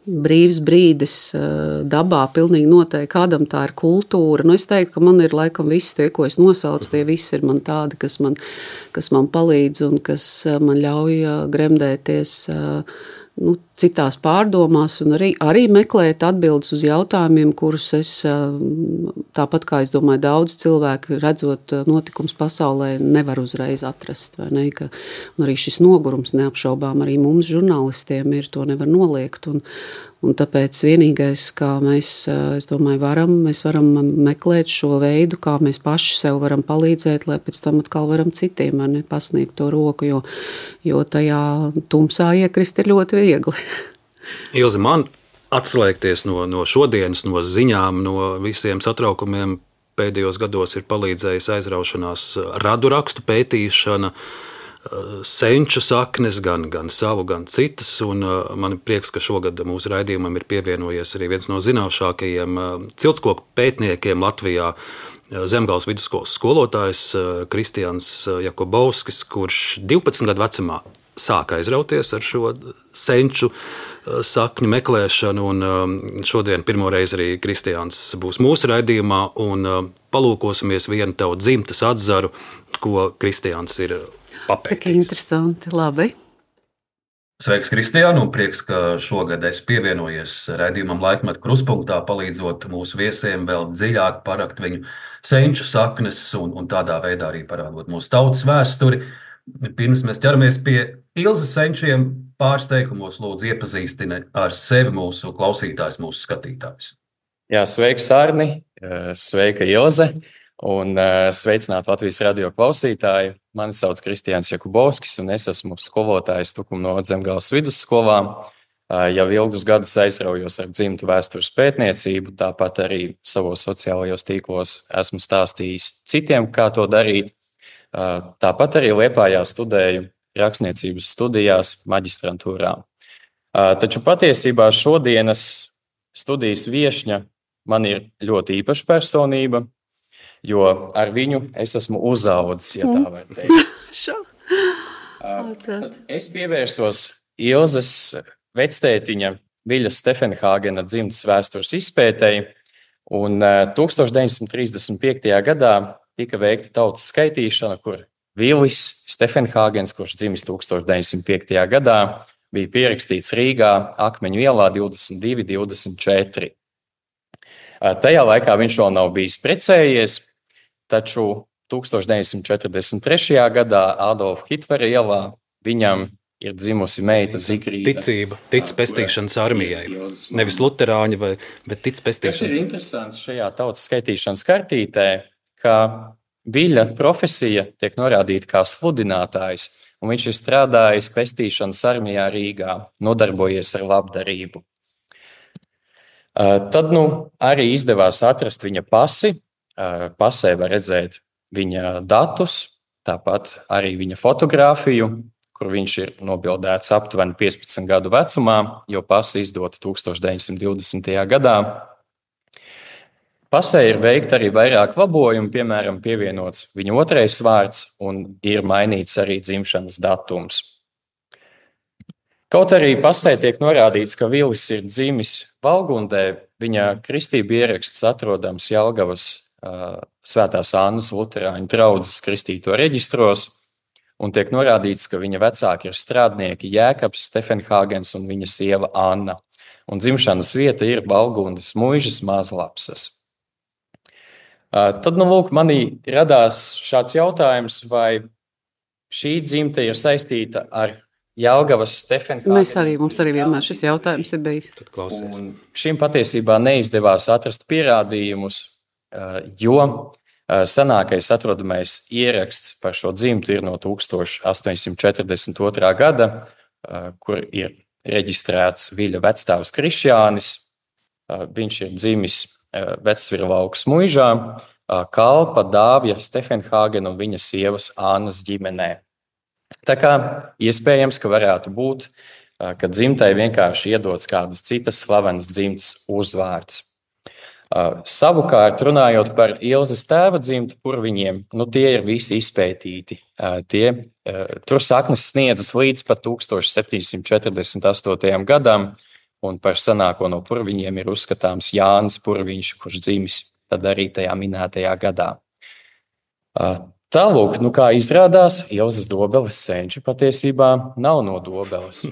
brīvs brīdis uh, dabā, pilnīgi noteikti. Kādam tā ir kultūra. Nu, es teiktu, ka man ir laikam visi tie, ko es nosaucu, tie visi ir man tādi, kas man, kas man palīdz un kas man ļauj uh, gremdēties uh, nu, citās pārdomās un arī, arī meklēt atbildes uz jautājumiem, kurus es, tāpat kā es domāju, daudz cilvēku redzot notikums pasaulē, nevar uzreiz atrast. Vai ne? Ka, un arī šis nogurums neapšaubām arī mums žurnālistiem ir, to nevar noliegt. Un, un tāpēc vienīgais, kā mēs, es domāju, varam, mēs varam meklēt šo veidu, kā mēs paši sev varam palīdzēt, lai pēc tam atkal varam citiem ne, pasniegt to roku, jo, jo tajā tumsā iekrist ir ļoti viegli. Ilze, man atslēgties no, no šodienas, no ziņām, no visiem satraukumiem pēdējos gados ir palīdzējis aizraušanās radu rakstu pētīšana, senču saknes, gan, gan savu, gan citas, un man ir prieks, ka šogad mūsu raidījumam ir pievienojies arī viens no zināšākajiem ciltskoku pētniekiem Latvijā, Zemgales vidusskolas skolotājs Kristians Jakubovskis, kurš divpadsmit gadu vecumā sāka aizrauties ar šo senču sakņu meklēšanu, un šodien pirmo reizi arī Kristians būs mūsu raidījumā, un palūkosimies vienu tavu dzimtas atzaru, ko Kristians ir papētījis. Cik interesanti, labi. Sveiks, Kristiāna, un prieks, ka šogad esi pievienojies raidījumam Laikmetu krustpunktā, palīdzot mūsu viesiem vēl dziļāk parakt viņu senču saknes un, un tādā veidā arī parādot mūsu tautas vēsturi. Pirms mēs ķeramies pie Ilzes senčiem, pāris teikumos lūdzu iepazīstini ar sevi mūsu klausītājs, mūsu skatītājs. Jā, sveiks, Arni, sveika Ilze, un sveicināt Latvijas radio klausītāji. Mani sauc Kristians Jakubovskis, un es esmu skolotājs Tukuma novada Zemgales vidusskolā. Jau ilgus gadus aizraujos ar dzimtu vēstures pētniecību, tāpat arī savos sociālajos tīklos esmu stāstījis citiem, kā to darīt. Tāpat arī Liepājā studēju rakstniecības studijās maģistrantūrā. Taču patiesībā šodienas studijas viešņa man ir ļoti īpaša personība, jo ar viņu es esmu uzaudzis, ja tā var teikt. Es pievērsos Ilzes vectētiņa Viļa Stefenhāgena dzimtas vēstures izpētei, un tūkstoš deviņsimt trīsdesmit piektajā gadā tika veikta tautas skaitīšana, kur Vilis Stefenhāgens, kurš dzimis tūkstoš deviņsimt piektajā gadā, bija pierakstīts Rīgā Akmeņu ielā divdesmit divi divdesmit četri. Tajā laikā viņš vēl nav bijis precējies, taču tūkstoš deviņsimt četrdesmit trešajā gadā Adolfa Hitlera ielā viņam ir dzimusi meita Zigrīda. Ticība, tic pestīšanas armijai. Nevis luterāņi, vai, bet tic pestīšanas. Tas ir interesants šajā tautas skaitīšanas kartītē, ka Viļa profesija tiek norādīta kā sludinātājs, un viņš ir strādājis pestīšanas armijā Rīgā, nodarbojies ar labdarību. Tad nu, arī izdevās atrast viņa pasi. Pasē var redzēt viņa datus, tāpat arī viņa fotogrāfiju, kur viņš ir nobildēts aptuveni piecpadsmit gadu vecumā, jo pasi izdota tūkstoš deviņsimt divdesmitajā gadā. Pasē ir veikta arī vairāk labojumu, piemēram, pievienots viņa otrais vārds un ir mainīts arī dzimšanas datums. Kaut arī pasē tiek norādīts, ka Vilis ir dzimis Valgundē, viņa kristība ieraksts atrodams Jelgavas uh, Svētās Annas luterāņu draudzes kristīto reģistros, un tiek norādīts, ka viņa vecāki ir strādnieki Jēkabs Stefenhāgens un viņa sieva Anna, un dzimšanas vieta ir Valgundas muižas Mazlapsas. Tad, nu, lūk, manī radās šāds jautājums, vai šī dzimte ir saistīta ar Jelgavas Stefenhāgenes. Mēs arī, mums arī vienmēr šis jautājums ir bijis. Tad klausies. Un šim patiesībā neizdevās atrast pierādījumus, jo senākais atrodamais ieraksts par šo dzimtu ir no tūkstoš astoņsimt četrdesmit otrā gada, kur ir reģistrēts Viļa vecstāvs Krišjānis. Viņš ir dzimis Vecvirlaukas muižā, kalpa Dāvja Stefenhāgena un viņa sievas Ānas ģimenē. Tā kā iespējams, ka varētu būt, ka dzimtai vienkārši iedots kādas citas slavenas dzimtas uzvārds. Savukārt, runājot par Ilzes tēva dzimtu Purviņiem, nu tie ir visi izpētīti. Tie, tur saknes sniedzas līdz pat tūkstoš septiņsimt četrdesmit astotajam gadam, un par senāko no Purviņiem ir uzskatāms Jānis Purviņš, kurš dzimis tad arī tajā minētajā gadā. Tālūk, nu kā izrādās, Ilzes Dobeles senči patiesībā nav no Dobeles.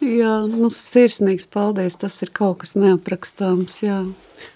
Jā, nu sirsnīgs paldies, tas ir kaut kas neaprakstāms, jā.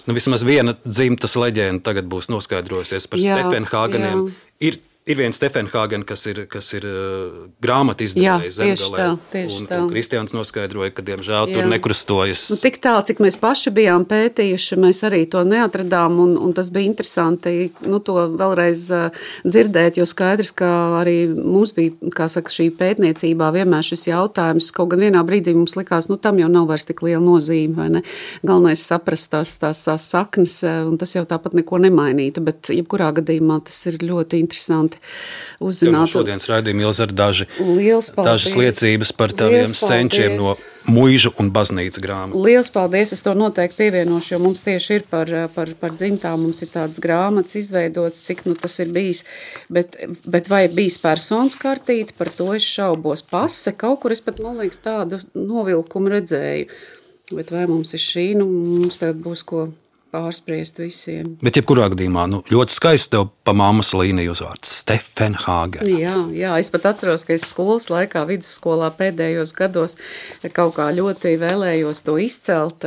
Nu, vismaz viena dzimtas leģenda tagad būs noskaidrojusies par Stefenhāgeniem. Ir Ir viens Stefenhāgen, kas ir, kas ir uh, grāmatu izdevējs Zemgalē, tā, un, tā. un Kristiāns noskaidroja, ka, diemžēl, Jā. tur nekrustojas. Nu, tik tālu, cik mēs paši bijām pētījuši, mēs arī to neatradām, un, un tas bija interesanti, nu, to vēlreiz uh, dzirdēt, jo skaidrs, ka arī mums bija, kā saka, šī pētniecībā vienmēr šis jautājums, kaut gan vienā brīdī mums likās, nu, tam jau nav vairs tik liela nozīme, vai ne? Galvenais saprast tās, tās, tās saknes, un tas jau tāpat neko nemainītu, bet jebkurā gadījumā tas ir ļoti interesanti. Uzzināt. Šodienas raidījuma Ilze ir daži, dažas liecības par taviem Liels senčiem no muižu un baznīca grāmatu. Liels paldies, es to noteikti pievienošu, jo mums tieši ir par, par, par dzimtām, mums ir tādas grāmatas izveidotas, cik nu tas ir bijis, bet, bet vai bijis personas kartīte, par to es šaubos. Pase, kaut kur es pat, man liekas, tādu novilkumu redzēju, bet vai mums ir šī, nu mums tagad būs ko pārspriest visiem. Bet jebkurā gadījumā, nu, ļoti skaisti tev pa mammas līniju uzvārds Stefenhāgen. Jā, jā, es pat atceros, ka es skolas laikā, vidusskolā pēdējos gados kaut kā ļoti vēlējos to izcelt.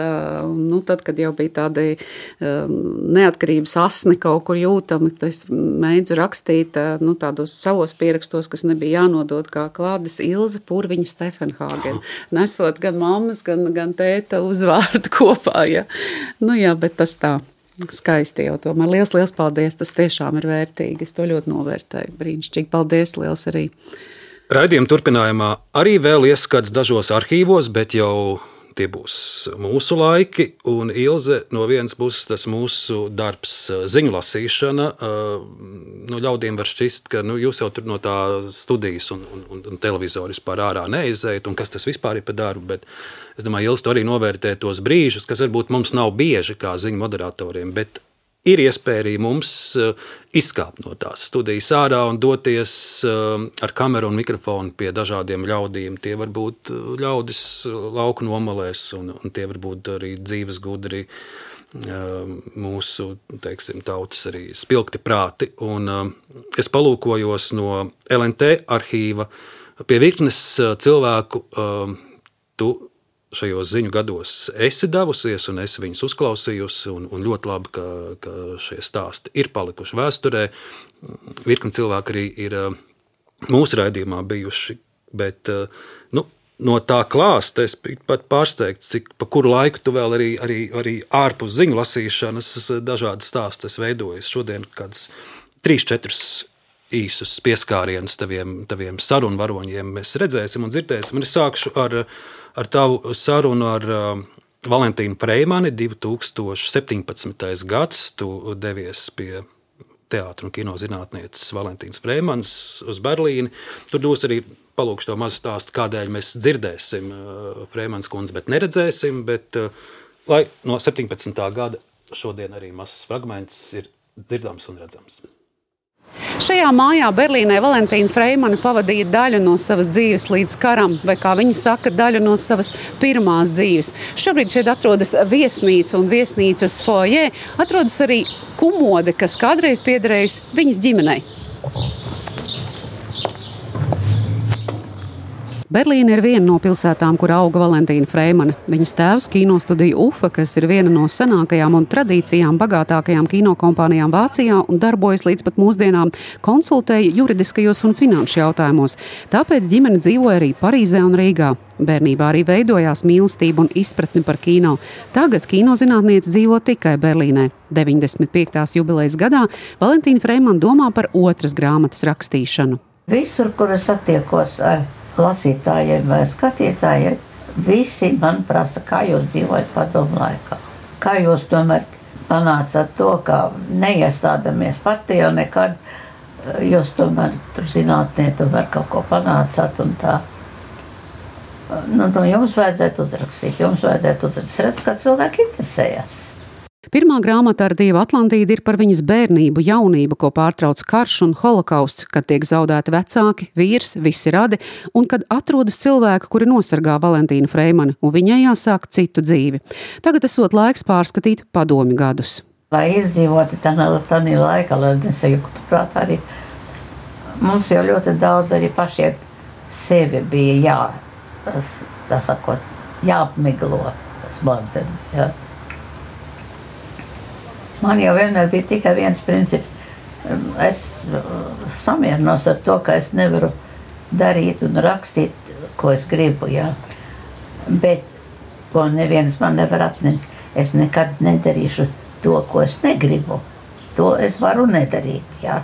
Nu, tad, kad jau bija tādi neatkarības asni kaut kur jūtami, es mēģinu rakstīt nu, tādos savos pierakstos, kas nebija jānodod kā klādes Ilze Purviņa Stefenhāgen. Nesot gan mammas, gan, gan tēta uzvārdu kopā. Ja. Nu jā, bet tas tā skaisti jau tomēr. Liels, liels paldies, tas tiešām ir vērtīgi. Es to ļoti novērtēju. Brīnišķīgi, paldies, liels arī. Raidījuma turpinājumā arī vēl ieskats dažos arhīvos, bet jau tie būs mūsu laiki, un Ilze no vienas puses tas mūsu darbs ziņu lasīšana. Nu, ļaudīm var šķist, ka nu, jūs jau tur no tā studijas un, un, un televizoru vispār ārā neizējat, un kas tas vispār ir par darbu, bet es domāju, Ilze arī novērtē tos brīžus, kas varbūt mums nav bieži kā ziņu moderatoriem, bet ir iespēja arī mums izkāpt no tās studijas ārā un doties ar kameru un mikrofonu pie dažādiem ļaudīm. Tie var būt ļaudis lauku nomalēs, un, un tie var būt arī dzīves gudri mūsu, teiksim, tautas arī spilgti prāti. Un es palūkojos no L N T arhīva pie virknes cilvēku. Tu šajos ziņu gados esi devusies un esi viņus uzklausījusi, un, un ļoti labi, ka, ka šie stāsti ir palikuši vēsturē. Virkni cilvēki arī ir mūsu raidījumā bijuši, bet nu, no tā klāsta es pat pārsteigts, cik pa kuru laiku tu vēl arī, arī, arī ārpus ziņu lasīšanas dažādas stāstas veidojas. Šodien kāds trīs, četrus īsus pieskārienus taviem, taviem sarunu varoņiem mēs redzēsim un dzirdēsim. Un es sākšu ar ar tavu sarunu ar uh, Valentīnu Freimani, divi tūkstoši septiņpadsmitais gads, tu devies pie teātra un kino zinātnieces Valentīnas Freimanas uz Berlīni. Tur dos arī palūkšu to mazu stāstu, kādēļ mēs dzirdēsim uh, Freimanas kundzi, bet neredzēsim, bet uh, lai no septiņpadsmitā gada šodien arī mazs fragments ir dzirdams un redzams. Šajā mājā Berlīnē Valentīna Freimane pavadīja daļu no savas dzīves līdz karam, vai kā viņa saka, daļu no savas pirmās dzīves. Šobrīd šeit atrodas viesnīca un viesnīcas foajē atrodas arī kumode, kas kādreiz piederējusi viņas ģimenei. Berlīne ir viena no pilsētām, kur auga Valentīna Freimane. Viņas tēvs kinostudija UFA, kas ir viena no senākajām un tradīcijām bagātākajām kinokompānijām Vācijā un darbojas līdz pat mūsdienām, konsultēja juridiskajos un finanšu jautājumos. Tāpēc ģimene dzīvoja arī Parīzē un Rīgā. Bērnībā arī veidojās mīlestība un izpratne par kino. Tagad kinozinātniece dzīvo tikai Berlīnē. deviņdesmit piektās jubilejas gadā Valentīna Freimane domā par otras grāmatas rakstīšanu. Visur, kur es attiekos ar lasītājiem vai skatītājiem, visi man prasa, kā jūs dzīvojat padomu laikā. Kā jūs tomēr panācat to, ka neiestādamies partijā nekad, jūs tomēr tur zinātnē tomēr kaut ko panācāt un tā. Nu, nu, jums vajadzētu uzrakstīt, jums vajadzētu uzrakstīt. Es redzu, kā cilvēki interesējas. Pirmā grāmata ar Dievu Atlantīdu ir par viņas bērnību, jaunību, ko pārtrauc karš un holokausts, kad tiek zaudēti vecāki, vīrs, visi radi, un kad atrodas cilvēki, kuri nosargā Valentīnu Freimani, un viņai jāsāk citu dzīvi. Tagad esot laiks pārskatīt padomju gadus. Lai izdzīvoti tādā laikā, lai nesajuktu prātā arī, mums jau ļoti daudz arī pašiem sevi bija jā. Tas, tā sakot, jāapmiglo smadzenes, jā. Man jau vienmēr bija tikai viens princips. Es samierinos ar to, ka es nevaru darīt un rakstīt, ko es gribu, jā. Bet, ko neviens man nevar atņemt, es nekad nedarīšu to, ko es negribu. To es varu nedarīt, jā.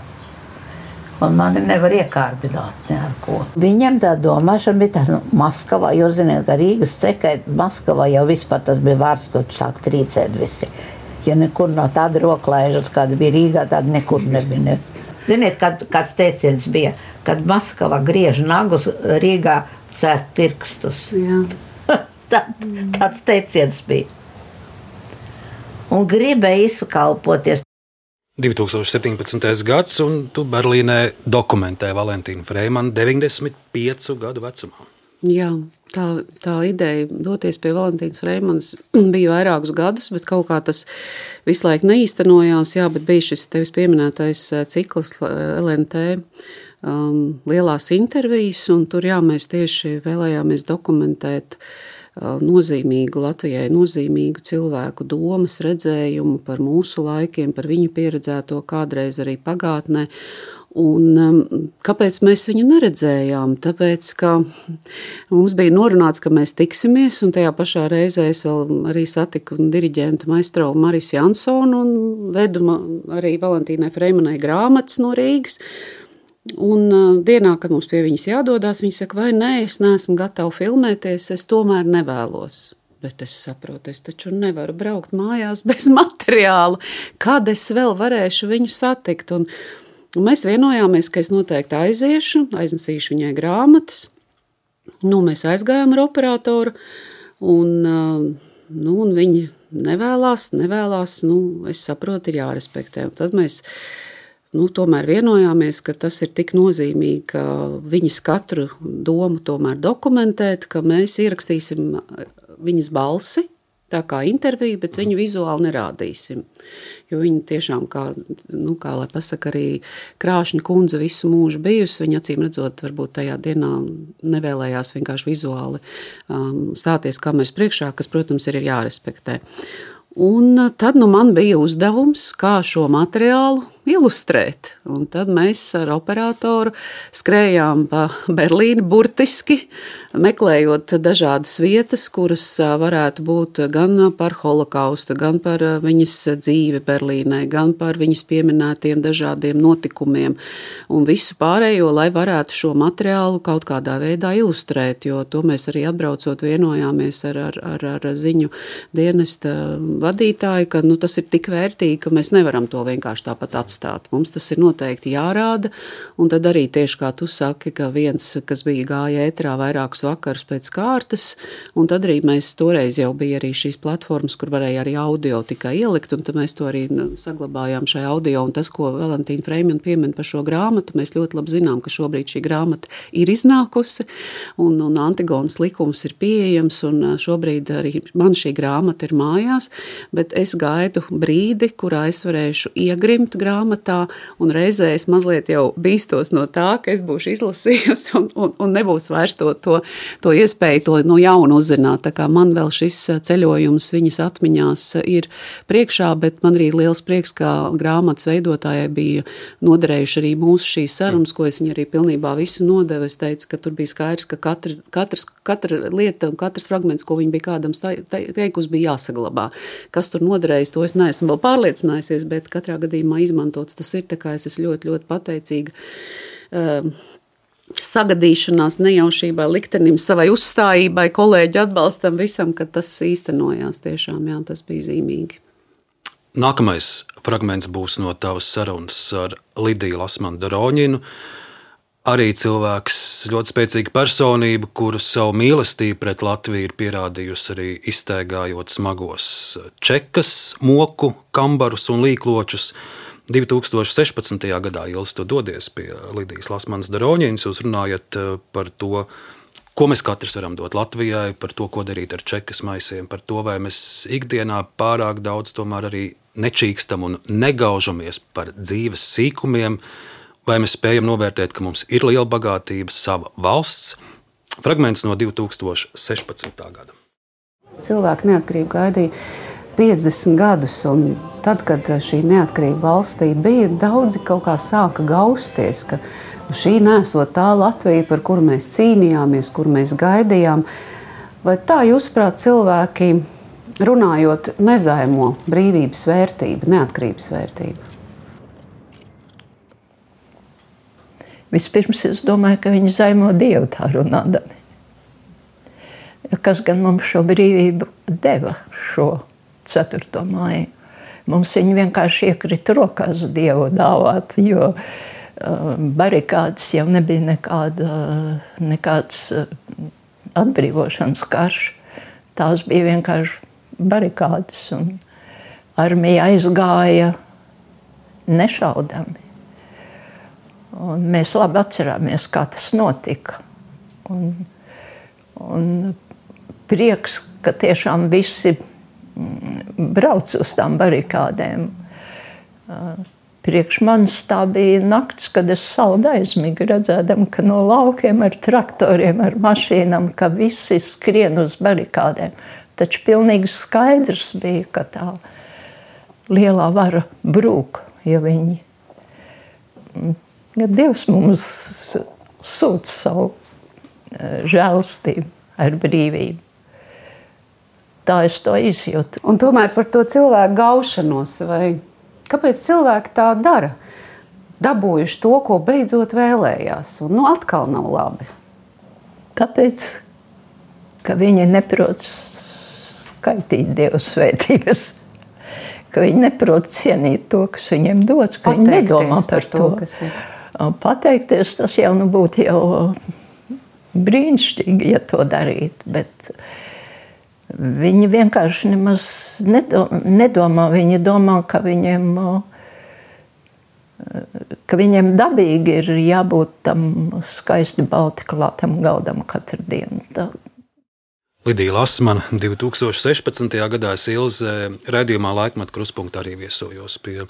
Un mani nevar iekārdināt ne ar ko. Viņam tā domāšana bija tā, nu, Maskavā, jūs ziniet, ka Rīgas cekai, Maskavā jau vispār tas bija vārds, ko sāk trīcēt visi. Ja nekur no tāda roklaižas, kāda bija Rīgā, tāda nekur nebija. Ne. Ziniet, kad, kāds teiciens bija, kad Maskavā griež nagus, Rīgā cērt pirkstus. Tā, tāds teiciens bija. Un gribēja izkalpoties. divi tūkstoši septiņpadsmitais gads, un tu Berlīnē dokumentē Valentīnu Freimani deviņdesmit piecu gadu vecumā. Jā, tā, tā ideja doties pie Valentīnas Freimanas bija vairākus gadus, bet kaut kā tas visu laiku neīstenojās. Jā, bet bija šis tevis pieminētais cikls L N T um, lielās intervijas, un tur jā, mēs tieši vēlējāmies dokumentēt nozīmīgu Latvijai, nozīmīgu cilvēku domas, redzējumu par mūsu laikiem, par viņu pieredzēto kādreiz arī pagātnē. Un kāpēc mēs viņu neredzējām? Tāpēc, ka mums bija norunāts, ka mēs tiksimies, un tajā pašā reizē es vēl arī satiku diriģentu maistro Maris Jansonu un vedu arī Valentīnai Freimanai grāmatas no Rīgas. Un uh, dienā, kad mums pie viņas jādodās, viņa saka, vai nē, es neesmu gatava filmēties, es tomēr nevēlos. Bet es saprotu, es taču nevaru braukt mājās bez materiāla. Kad es vēl varēšu viņu satikt? Un, un mēs vienojāmies, ka es noteikti aiziešu, aiznesīšu viņai grāmatas. Nu, mēs aizgājām ar operatoru, un, uh, nu, un viņa nevēlās, nevēlās, nu, es saprotu, ir jārespektē. Un tad mēs Nu, tomēr vienojāmies, ka tas ir tik nozīmīgi, ka viņas katru domu tomēr dokumentēt, ka mēs ierakstīsim viņas balsi, tā kā interviju, bet viņu vizuāli nerādīsim. Jo viņa tiešām, kā, nu, kā lai pasaka, arī krāšņa kundze visu mūžu bijusi, viņa acīm redzot, varbūt tajā dienā nevēlējās vienkārši vizuāli um, stāties kameras priekšā, kas, protams, ir jārespektē. Un tad nu, man bija uzdevums, kā šo materiālu ilustrēt. Un tad mēs ar operatoru skrējām pa Berlīni burtiski, meklējot dažādas vietas, kuras varētu būt gan par holokaustu, gan par viņas dzīvi Berlīnē, gan par viņas pieminētiem dažādiem notikumiem un visu pārējo, lai varētu šo materiālu kaut kādā veidā ilustrēt, jo to mēs arī atbraucot vienojāmies ar, ar, ar, ar ziņu dienesta vadītāju, ka nu, tas ir tik vērtīgi, ka mēs nevaram to vienkārši tāpat atstāt. Mums tas ir noteikti jārāda, un tad arī tieši kā tu saki, ka viens, kas bija gāja ētrā vairākus vakarus pēc kārtas, un tad arī mēs toreiz jau bija arī šīs platformas, kur varēja arī audio tikai ielikt, un tad mēs to arī saglabājām šai audio, un tas, ko Valentīna Freimane piemin par šo grāmatu, mēs ļoti labi zinām, ka šobrīd šī grāmata ir iznākusi, un, un Antigonas likums ir pieejams, un šobrīd arī man šī grāmata ir mājās, bet es gaidu brīdi, kurā es varēšu iegrimt grāmatu grāmatā, un reizē es mazliet jau bīstos no tā, ka es būšu izlasījusi un, un, un nebūs vairs to, to, to iespēju to no jauna uzzināt. Tā kā man vēl šis ceļojums viņas atmiņās ir priekšā, bet man arī liels prieks, ka grāmatas veidotājai bija noderējuši arī mūsu šīs sarunas, ko es viņa arī pilnībā visu nodevu. Es teicu, ka tur bija skaidrs, ka katrs, katrs, katra lieta un katrs fragments, ko viņa bija kādam teikusi, bija jāsaglabā. Kas tur noderējis, to es neesmu vēl pārliecinājusies, bet katrā gadījumā izmantots tas ir, tā kā es esmu ļoti, ļoti pateicīga um, sagadīšanās, nejaušībai, liktenim, savai uzstājībai, kolēģu atbalstam visam, ka tas īstenojās tiešām, jā, tas bija zīmīgi. Nākamais fragments būs no tavas sarunas ar Lidiju Lasmanu-Daroņinu. Arī cilvēks, ļoti spēcīga personība, kuru savu mīlestību pret Latviju ir pierādījusi arī izstaigājot smagos čekas, moku, kambarus un līkločus. divi tūkstoši sešpadsmitajā gadā, Ilis, tu dodies pie Lidijas Lasmanas-Daroņinas, jūs runājat par to, ko mēs katrs varam dot Latvijai, par to, ko darīt ar čekas maisiem, par to, vai mēs ikdienā pārāk daudz tomēr arī nečīkstam un negaužamies par dzīves sīkumiem, vai mēs spējam novērtēt, ka mums ir liela bagātība, sava valsts. Fragments no divi tūkstoši sešpadsmitā gada. Cilvēki neatkarību gaidīja piecdesmit gadus, un tad, kad šī neatkarība valstī bija, daudzi kaut kā sāka gausties, ka šī nesot tā Latvija, par kuru mēs cīnījāmies, kuru mēs gaidījām. Vai tā, jūsuprāt, cilvēki, runājot, nezaimo brīvības vērtību, neatkarības vērtību? Vispirms es domāju, ka viņi zaimo Dievu tā runādami. Kas gan mums šo brīvību deva, šo ceturto māju? Mums viņi vienkārši iekrita rokās Dievu dāvāt, jo uh, barikādas jau nebija nekāda, nekāds uh, atbrīvošanas karš. Tās bija vienkārši barikādas, un armija aizgāja nešaudami. Un mēs labi atcerāmies, kā tas notika. Un, un prieks, ka tiešām visi brauc uz tām barikādēm. Priekš manis tā bija nakts, kad es saldu aizmigu, redzēdam, ka no laukiem ar traktoriem, ar mašīnām, ka visi skrien uz barikādēm. Taču pilnīgi skaidrs bija, ka tā lielā vara brūk, ja viņi... Ja Dievs mums sūta savu žēlastību ar brīvību. Tā es to izjūtu. Un tomēr par to cilvēku gaušanos, vai kāpēc cilvēki tā dara? Dabūjuši to, ko beidzot vēlējās, un nu atkal nav labi. Tāpēc, ka viņi neprot skaitīt Dievu svētības, ka viņi neprot cienīt to, kas viņiem dots, ka viņi nedomā par to. Kas ir. Pateikties, tas jau nu būtu jau brīnišķīgi, ja to darīt, bet viņi vienkārši nemaz nedomā, viņi domā, ka viņiem, ka viņiem dabīgi ir jābūt tam skaisti balti klātam galdam katru dienu. Tā. Lidija Lasmana, divi tūkstoši sešpadsmitajā gadā es Ilze raidījumā Laikmeta Kruspunktā arī viesojos pie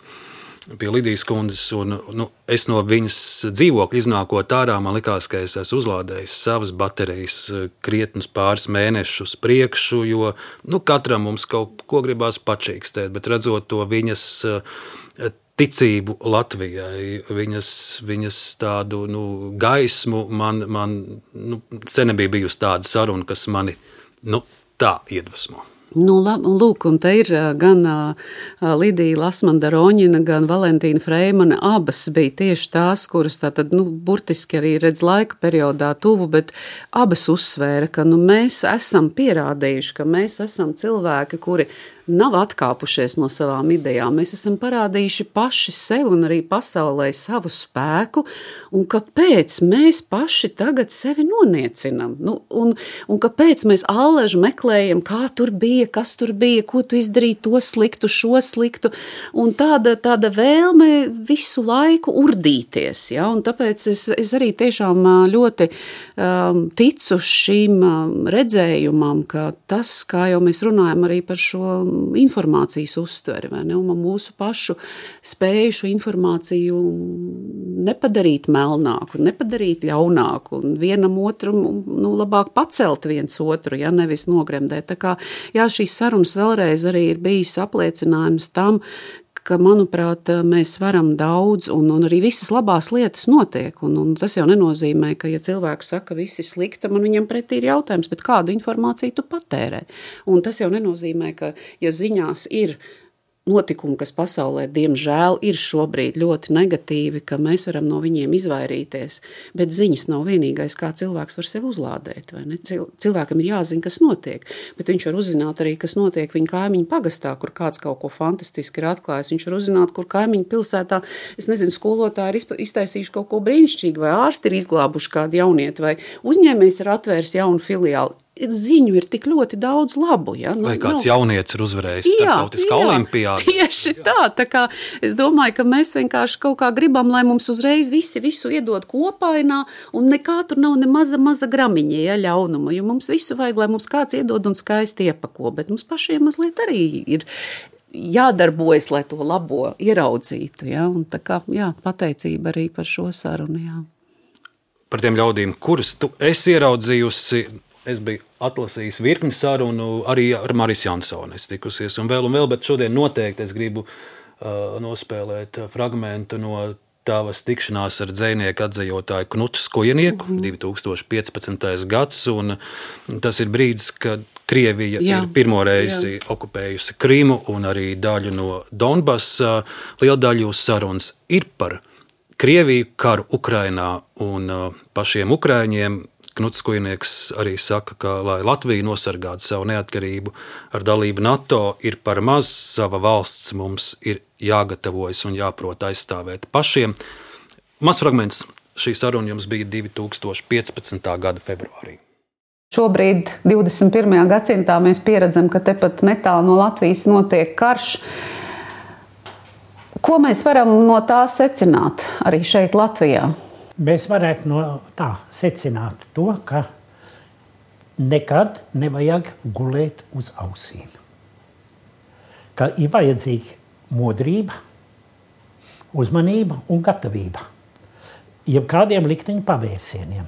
pie Lidijas kundzes, un nu, es no viņas dzīvokļa iznākot ārā, man likās, ka es esmu uzlādējis savas baterijas krietnus pāris mēnešus priekšu, jo nu, katram mums kaut ko gribās pačīkstēt, bet redzot to viņas ticību Latvijai, viņas, viņas tādu nu, gaismu, man, man nu, sen nebija bijusi tāda saruna, kas mani nu, tā iedvesmo. Nu, lūk, un te ir gan Lidija Lasmana-Daroņina, gan Valentīna Freimana, abas bija tieši tās, kuras tātad, nu, burtiski arī redz laika periodā tuvu, bet abas uzsvēra, ka, nu, mēs esam pierādījuši, ka mēs esam cilvēki, kuri nav atkāpušies no savām idejām. Mēs esam parādījuši paši sev un arī pasaulē savu spēku, un kāpēc mēs paši tagad sevi noniecinam? Nu, un, un kāpēc mēs alleži meklējam, kā tur bija, kas tur bija, ko tu izdarīji, to sliktu, šo sliktu, un tāda, tāda vēlme visu laiku urdīties, ja? Un tāpēc es, es arī tiešām ļoti um, ticu šīm um, redzējumam, ka tas, kā jau mēs runājam arī par šo informācijas uztveri, vai ne? Un mūsu pašu spēju šo informāciju nepadarīt melnāku, nepadarīt ļaunāku, un vienam otru, nu, labāk pacelt viens otru, ja nevis nogremdēt. Tā kā, jā, šīs sarunas vēlreiz arī ir bijis apliecinājums tam, ka, manuprāt, mēs varam daudz, un, un arī visas labās lietas notiek. Un, un tas jau nenozīmē, ka, ja cilvēks saka, viss ir slikta, man viņam pretī ir jautājums, bet kādu informāciju tu patērē? Un tas jau nenozīmē, ka, ja ziņās ir notikumi, kas pasaulē, diemžēl, ir šobrīd ļoti negatīvi, ka mēs varam no viņiem izvairīties, bet ziņas nav vienīgais, kā cilvēks var sevi uzlādēt, vai ne? Cilvēkam ir jāzina, kas notiek, bet viņš var uzzināt arī, kas notiek viņa kaimiņu pagastā, kur kāds kaut ko fantastiski ir atklājis. Viņš var uzzināt, kur kaimiņu pilsētā, es nezinu, skolotāji ir iztaisījuši kaut ko brīnišķīgu, vai ārsti ir izglābuši kādu jaunieti, vai uzņēmējs ir atvērs jaunu filiāli. Ziņu ir tik ļoti daudz labu. Ja? Nu, vai kāds nu, jaunietis ir uzvarējis starptautiskā olimpiādā. Tieši tā, tā kā es domāju, ka mēs vienkārši kaut kā gribam, lai mums uzreiz visi visu iedod kopainā, un nekā tur nav ne maza, maza gramiņa, ja, ļaunuma, jo mums visu vajag, lai mums kāds iedod un skaisti iepako, bet mums pašiem mazliet arī ir jādarbojas, lai to labo ieraudzītu. Ja? Un tā kā, jā, pateicība arī par šo sarunu. Jā. Par tiem ļaudīm, kurus tu esi ieraudzījusi, es biju atlasījis virkni sarunu arī ar Marisu Jansoni. Es tikusies un vēl un vēl, bet šodien noteikti es gribu uh, nospēlēt fragmentu no tavas tikšanās ar dzejnieku atzejotāju Knutu Skujenieku, mm-hmm. divi tūkstoši piecpadsmitais gads, un tas ir brīdis, kad Krievija jā, ir pirmo reizi jā. okupējusi Krimu un arī daļu no Donbasa. Liela daļa jūsu sarunas ir par Krieviju, karu Ukrainā un uh, pašiem ukraiņiem. Knuts Skujnieks arī saka, ka, lai Latvija nosargātu savu neatkarību ar dalību NATO, ir par maz, sava valsts mums ir jāgatavojas un jāprot aizstāvēt pašiem. Maz fragments šī saruna jums bija divi tūkstoši piecpadsmitā gada februārī. Šobrīd, divdesmit pirmajā gadsimtā, mēs pieredzam, ka tepat netālu no Latvijas notiek karš. Ko mēs varam no tā secināt arī šeit Latvijā? Mēs varētu no tā secināt to, ka nekad nevajag gulēt uz ausīm. Ka ir vajadzīga modrība, uzmanība un gatavība jebkādiem likteņu pavērsieniem.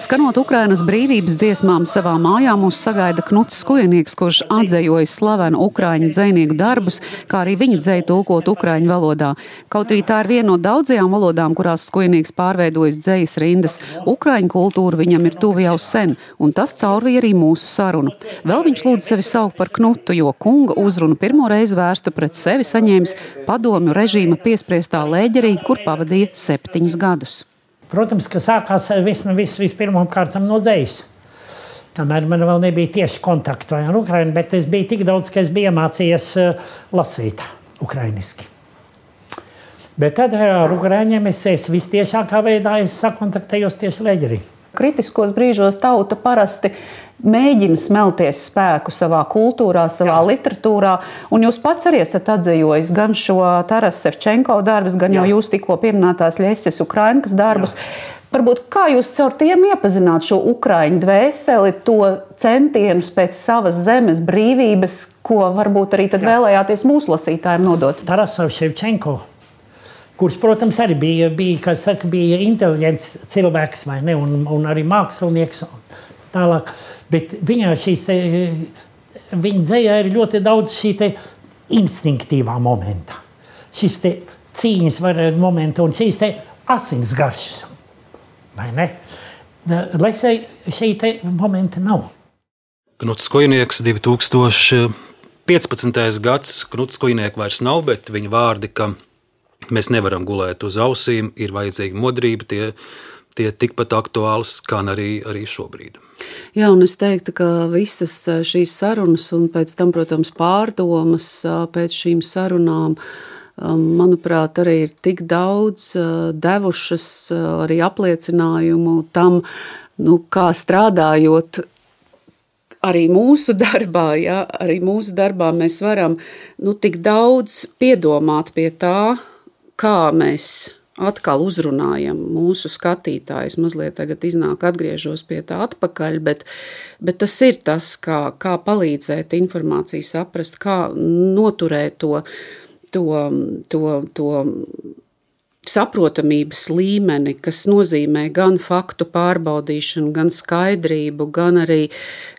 Skanot Ukrainas brīvības dziesmām savā mājā mūs sagaida Knuts Skujnieks, kurš atzejojis slavenu ukraiņu dzejnieku darbus, kā arī viņa dzeju tulkot ukraiņu valodā. Kaut arī tā ir viena no daudzajām valodām, kurās Skujnieks pārveidojis dzejas rindas. Ukraiņu kultūra viņam ir tuva jau sen, un tas caurvīja arī mūsu sarunu. Vēl viņš lūdz sevi saukt par Knutu, jo kunga uzrunu pirmo reizi vērstu pret sevi saņēmis padomju režīma piespriestā Lēģerī, kur pavadīja septiņus gadus. Protams, ka sākās viss, viss vispirmām kārtām no dzejas. Kamēr man vēl nebija tieši kontaktu ar Ukrainu, bet es biju tik daudz, ka es biju iemācījies lasīt ukrainiski. Bet tad ar Ukraiņiem es, es vistiešākā veidā es sakontaktējos tieši Lēģerī. Kritiskos brīžos tauta parasti mēģina smelties spēku savā kultūrā, savā Jā. literatūrā, un jūs pats arī esat atzejojis gan šo Taras Sevčenko darbus, gan Jā. jau jūs tikko pieminētās Ļeses Ukrainkas darbus. Jā. Varbūt kā jūs caur tiem iepazināt šo ukraiņu dvēseli, to centienus pēc savas zemes brīvības, ko varbūt arī tad Jā. vēlējāties mūsu lasītājiem nodot? Taras Sevčenko, kurš, protams, arī bija, bija, kā saka, bija inteliģents cilvēks, vai ne, un, un arī mākslinieks tālāk. Bet viņā šīs te, viņa dzejā ir ļoti daudz šī te instinktīvā momenta. Šis te cīņas momenta un šīs te asins garšas. Vai ne? Lesē šī te momenta nav. Knuts Skujnieks, divi tūkstoši piecpadsmitais gads. Knuts Skujnieks vairs nav, bet viņa vārdi, ka mēs nevaram gulēt uz ausīm, ir vajadzīga modrība, tie, tie tikpat aktuāls, kā arī, arī šobrīd. Jā, un es teiktu, ka visas šīs sarunas un pēc tam, protams, pārdomas pēc šīm sarunām, manuprāt, arī ir tik daudz devušas arī apliecinājumu tam, nu, kā strādājot arī mūsu darbā, ja, arī mūsu darbā mēs varam, nu, tik daudz piedomāt pie tā, kā mēs atkal uzrunājam mūsu skatītājus. Mazliet tagad iznāk, atgriežos pie tā atpakaļ, bet, bet tas ir tas, kā, kā palīdzēt informāciju saprast, kā noturēt to, to, to, to saprotamības līmeni, kas nozīmē gan faktu pārbaudīšanu, gan skaidrību, gan arī,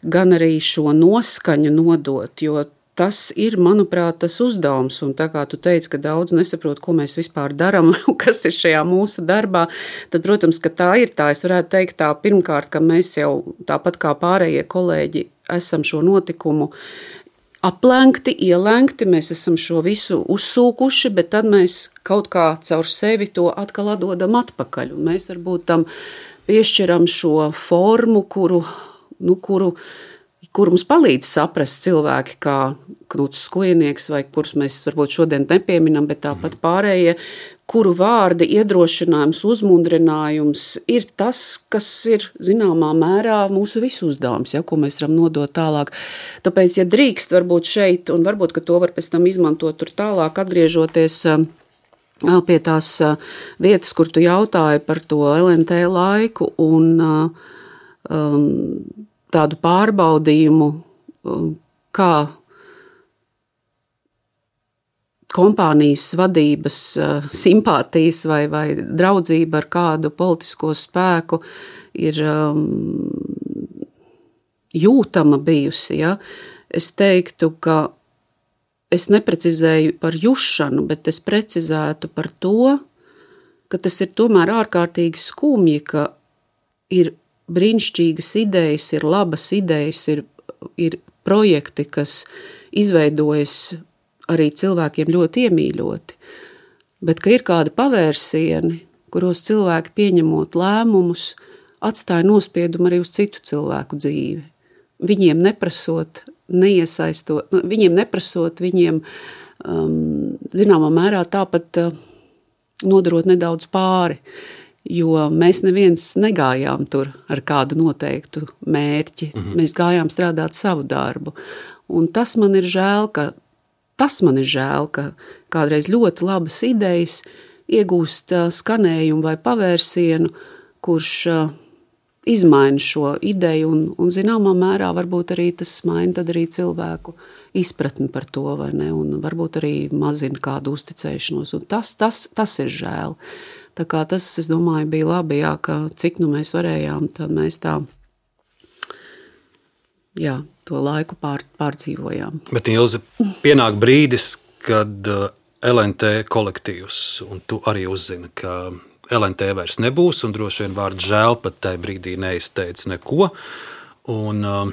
gan arī šo noskaņu nodot, jo tas ir, manuprāt, tas uzdevums, un tā kā tu teici, ka daudz nesaprot, ko mēs vispār darām, kas ir šajā mūsu darbā, tad, protams, ka tā ir tā. Es varētu teikt tā, pirmkārt, ka mēs jau tāpat kā pārējie kolēģi esam šo notikumu aplenkti, ielenkti, mēs esam šo visu uzsūkuši, bet tad mēs kaut kā caur sevi to atkal atdodam atpakaļ, un mēs varbūt tam piešķiram šo formu, kuru, nu, kuru kur mums palīdz saprast cilvēki, kā Knuts Skujnieks, vai kurus mēs varbūt šodien nepieminam, bet tāpat pārējie, kuru vārdi, iedrošinājums, uzmundrinājums ir tas, kas ir zināmā mērā mūsu visu uzdevums, ja, ko mēs varam nodot tālāk. Tāpēc, ja drīkst varbūt šeit, un varbūt, ka to var pēc tam izmantot tur tālāk, atgriežoties pie tās vietas, kur tu jautāji par to L N T laiku un um, tādu pārbaudījumu, kā kompānijas vadības simpātijas vai, vai draudzība ar kādu politisko spēku ir um, jūtama bijusi. Ja? Es teiktu, ka es neprecizēju par jušanu, bet es precizētu par to, ka tas ir tomēr ārkārtīgi skumji, ka ir brīnišķīgas idejas, ir labas idejas, ir, ir projekti, kas izveidojas arī cilvēkiem ļoti iemīļoti, bet ka ir kādi pavērsieni, kuros cilvēki pieņemot lēmumus, atstāja nospiedumu arī uz citu cilvēku dzīvi. Viņiem neprasot, neiesaistot, viņiem neprasot, viņiem um, zināmā mērā tāpat uh, nodarot nedaudz pāri. Jo mēs neviens negājām tur ar kādu noteiktu mērķi. Mhm. Mēs gājām strādāt savu darbu. Un tas man ir žēl, ka, tas man ir žēl, ka kādreiz ļoti labas idejas iegūst skanējumu vai pavērsienu, kurš izmaina šo ideju un, un zināmā mērā varbūt arī tas maina tad arī cilvēku izpratni par to, vai ne, un varbūt arī mazina kādu uzticēšanos. Un tas, tas, tas ir žēl. Tā kā tas, es domāju, bija labi, jā, ka cik nu mēs varējām, tad mēs tā, jā, to laiku pār, pārdzīvojām. Bet, Ilze, pienāk brīdis, kad L N T kolektīvs, un tu arī uzzini, ka L N T vairs nebūs, un droši vien vārds žēl pat tajā brīdī neizteica neko, un uh,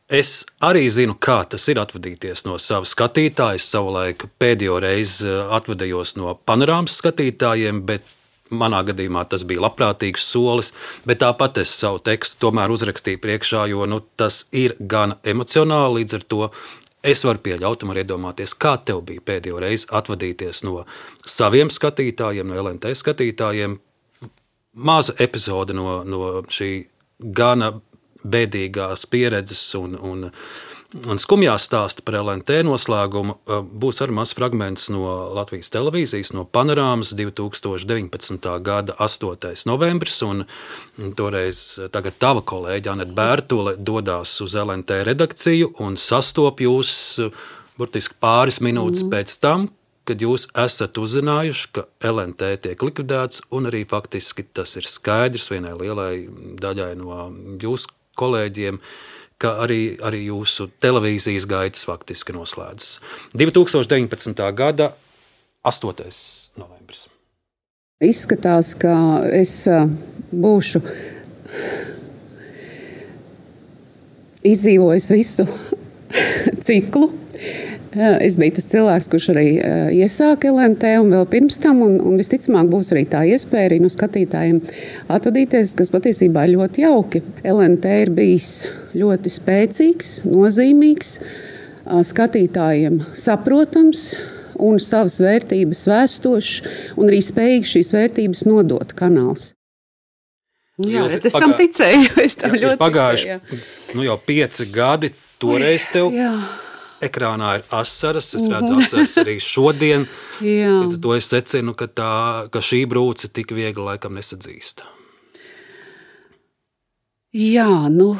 es arī zinu, kā tas ir atvadīties no sava skatītāja. Es savulaik pēdējo reizi atvadījos no panorāmas skatītājiem, bet manā gadījumā tas bija labprātīgs solis, bet tāpat es savu tekstu tomēr uzrakstīju priekšā, jo nu, tas ir gan emocionāli, līdz ar to es varu pieļaut un var iedomāties, kā tev bija pēdējo reizi atvadīties no saviem skatītājiem, no L N T skatītājiem. Maza epizode no, no šī gana bēdīgās pieredzes un, un, un skumjā stāsta par L N T noslēgumu. Būs arī mazs fragments no Latvijas televīzijas, no panorāmas divi tūkstoši deviņpadsmitā gada astotais novembris, un toreiz tagad tava kolēģa Aneta Bērtule dodās uz L N T redakciju un sastop jūs burtiski pāris minūtes mm. pēc tam, kad jūs esat uzzinājuši, ka L N T tiek likvidēts, un arī faktiski tas ir skaidrs vienai lielai daļai no jūsu kolēģiem, ka arī, arī jūsu televīzijas gaitas faktiski noslēdzas. divi tūkstoši deviņpadsmitā gada astotais novembris. Izskatās, ka es būšu izdzīvojis visu ciklu. Es biju tas cilvēks, kurš arī iesāka L N T un vēl pirms tam, un, un visticamāk būs arī tā iespēja arī no skatītājiem atvadīties, kas patiesībā ir ļoti jauki. L N T ir bijis ļoti spēcīgs, nozīmīgs, skatītājiem saprotams un savas vērtības vēstošs, un arī spējīgs šīs vērtības nodot kanāls. Jā, Jūs, es tam pagā... ticēju, es tam jā, ļoti pagājuši, ticēju. Nu jau pieci gadi, toreiz tev Jā. ekrānā ir asaras, es redzu asaras arī šodien. Līdz ar to es secinu, ka, tā, ka šī brūce tik viegli laikam nesadzīst. Jā, nu,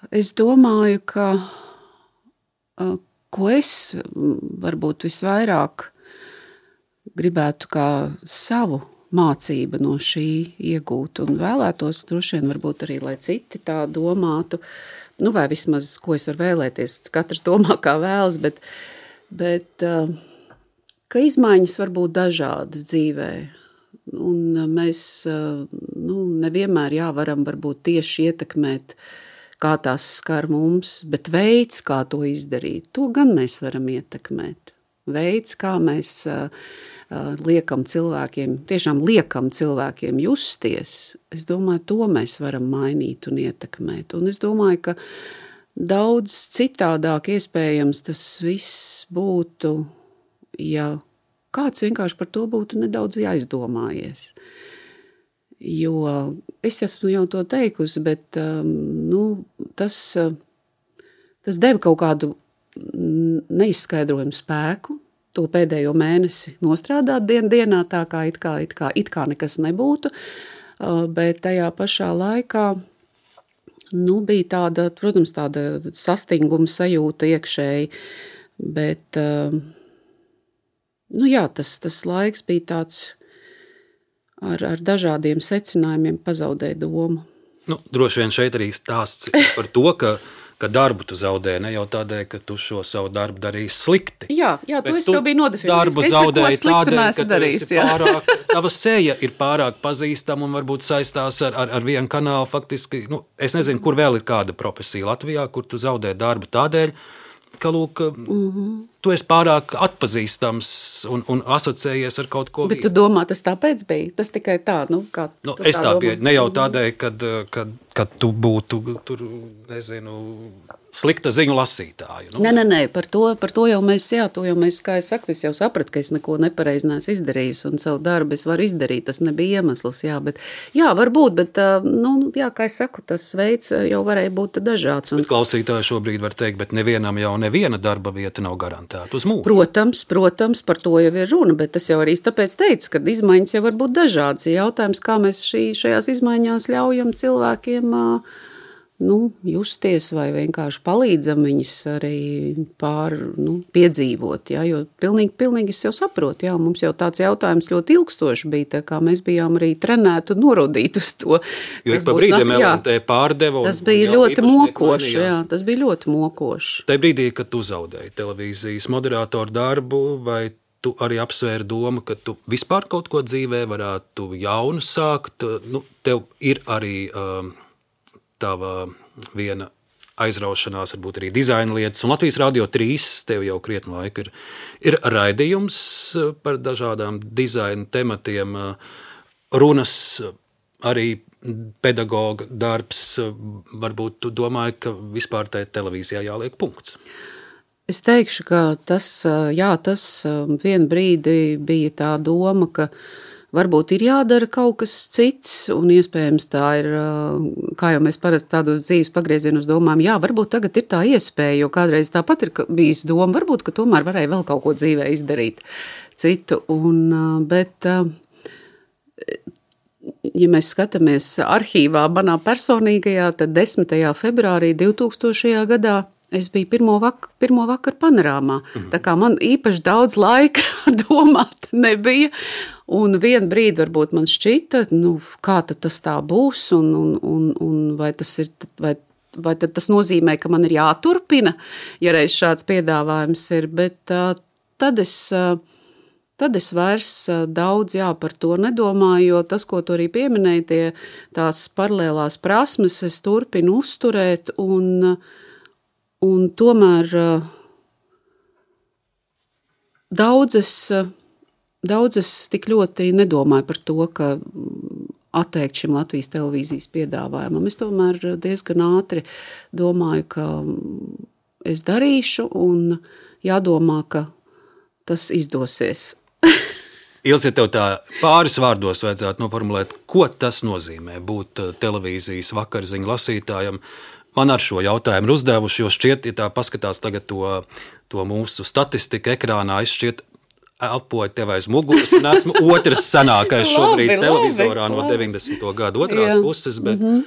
es domāju, ka ko es varbūt visvairāk gribētu kā savu mācību no šī iegūt un vēlētos droši vien varbūt arī, lai citi tā domātu, nu vai vismaz, ko es varu vēlēties, katrs domā kā vēlas, bet, bet ka izmaiņas var būt dažādas dzīvē. Un mēs nu, nevienmēr jā, varam varbūt tieši ietekmēt, kā tās skar mums, bet veids, kā to izdarīt, to gan mēs varam ietekmēt. Veids, kā mēs uh, liekam cilvēkiem, tiešām liekam cilvēkiem justies, es domāju, to mēs varam mainīt un ietekmēt. Un es domāju, ka daudz citādāk iespējams tas viss būtu, ja kāds vienkārši par to būtu nedaudz jāizdomājies. Jo es esmu jau to teikusi, bet nu, tas, tas deva kaut kādu neizskaidrojumu spēku, to pēdējo mēnesi nostrādāt dien dienā, tā kā it kā, it kā, it kā nekas nebūtu, bet tajā pašā laikā nu, bija tāda, protams, tāda sastinguma sajūta iekšēji, bet nu jā, tas, tas laiks bija tāds ar, ar dažādiem secinājumiem pazaudēja domu. Nu, droši vien šeit arī stāsts par to, ka ka darbu tu zaudēji, ne jau tādēļ, ka tu šo savu darbu darīji slikti. Jā, jā, to es jau biju nodefinējis. Darbu zaudēji tādēļ, ka tu esi pārāk, tava seja ir pārāk pazīstama un varbūt saistās ar, ar, ar vienu kanālu faktiski. Nu, es nezinu, kur vēl ir kāda profesija Latvijā, kur tu zaudē darbu tādēļ, ka, lūk, mm-hmm. tu esi pārāk atpazīstams un, un asociējies ar kaut ko. Bet tu domā, tas tāpēc bija? Tas tikai tā, nu, kā nu, es tā, tā biju, ne jau tādēļ, kad, kad, kad tu būtu, tur, nezinu, slikta ziņu lasītāju. Nu. Nē, nē, nē, par to, par to jau mēs, jā, to jau mēs, kā es saku, es jau sapratu, ka es neko nepareizi neesmu izdarījusi un savu darbu es varu izdarīt, tas nebija iemesls, jā, bet, jā, varbūt, bet, nu, jā, kā es saku, tas veids jau varēja būt dažāds. Un... Bet klausītāji šobrīd var teikt, bet nevienam jau neviena darba vieta nav garantēta uz mūžu. Protams, protams, par to jau ir runa, bet es jau arī tāpēc teicu, ka izmaiņas jau var būt dažādas. Jautājums, kā mēs šī, šajās izmaiņās ļaujam cilvēkiem nu, justies vai vienkārši palīdzam viņus arī pār, nu, piedzīvot, ja, jo pilnīgi, pilnīgi es jau saprotu, jā, mums jau tāds jautājums ļoti ilgstoši bija, tā kā mēs bijām arī trenēti un norodīti uz to. Jo ik pa brīdiem L N T pārdeva. Tas bija ļoti mokoši, jā, tas bija ļoti mokoši. Tajā brīdī, kad tu zaudēji televīzijas moderātoru darbu, vai tu arī apsvēri domu, ka tu vispār kaut ko dzīvē varētu jaunu sākt, nu, tev ir arī... Um, tava viena aizraušanās, varbūt arī dizaina lietas, un Latvijas Radio trīs tev jau krietni laika ir, ir raidījums par dažādām dizaina tematiem, runas, arī pedagoga darbs, varbūt tu domāji, ka vispār tai televīzijā jāliek punkts. Es teikšu, ka tas, jā, tas vien brīdi bija tā doma, ka varbūt ir jādara kaut kas cits, un iespējams tā ir, kā jau mēs parasti tādos dzīves pagriezienos domājam, jā, varbūt tagad ir tā iespēja, jo kādreiz tāpat ir bijis doma, varbūt, ka tomēr varēja vēl kaut ko dzīvē izdarīt citu, un, bet, ja mēs skatāmies arhīvā manā personīgajā, tad desmitajā februārī divtūkstošajā gadā es biju pirmo, vak- pirmo vakaru panorāmā, mm. tā kā man īpaši daudz laika domāt nebija, un vienu brīdi varbūt man šķita, nu, kā tad tas tā būs, un, un, un, un vai, tas ir, vai, vai tad tas nozīmē, ka man ir jāturpina, ja reiz šāds piedāvājums ir, bet uh, tad es... Uh, Tad es vairs daudz jā, par to nedomāju, jo tas, ko tu arī pieminēji, tie tās paralēlās prasmes, es turpinu uzturēt, un, un tomēr daudzes, daudzes tik ļoti nedomāju par to, ka atteikt šim Latvijas televīzijas piedāvājumam. Es tomēr diezgan ātri domāju, ka es darīšu, un jādomā, ka tas izdosies. Ilze, tev tā pāris vārdos vajadzētu noformulēt, ko tas nozīmē būt televīzijas vakarziņu lasītājam, man ar šo jautājumu ir uzdevuši, jo šķiet, ja tā paskatās tagad to, to mūsu statistiku ekrānā, es šķiet elpoju tev aiz muguras, un esmu otrs senākais šobrīd labi, televizorā labi, no deviņdesmito gadu otrās Jā. puses, bet mm-hmm.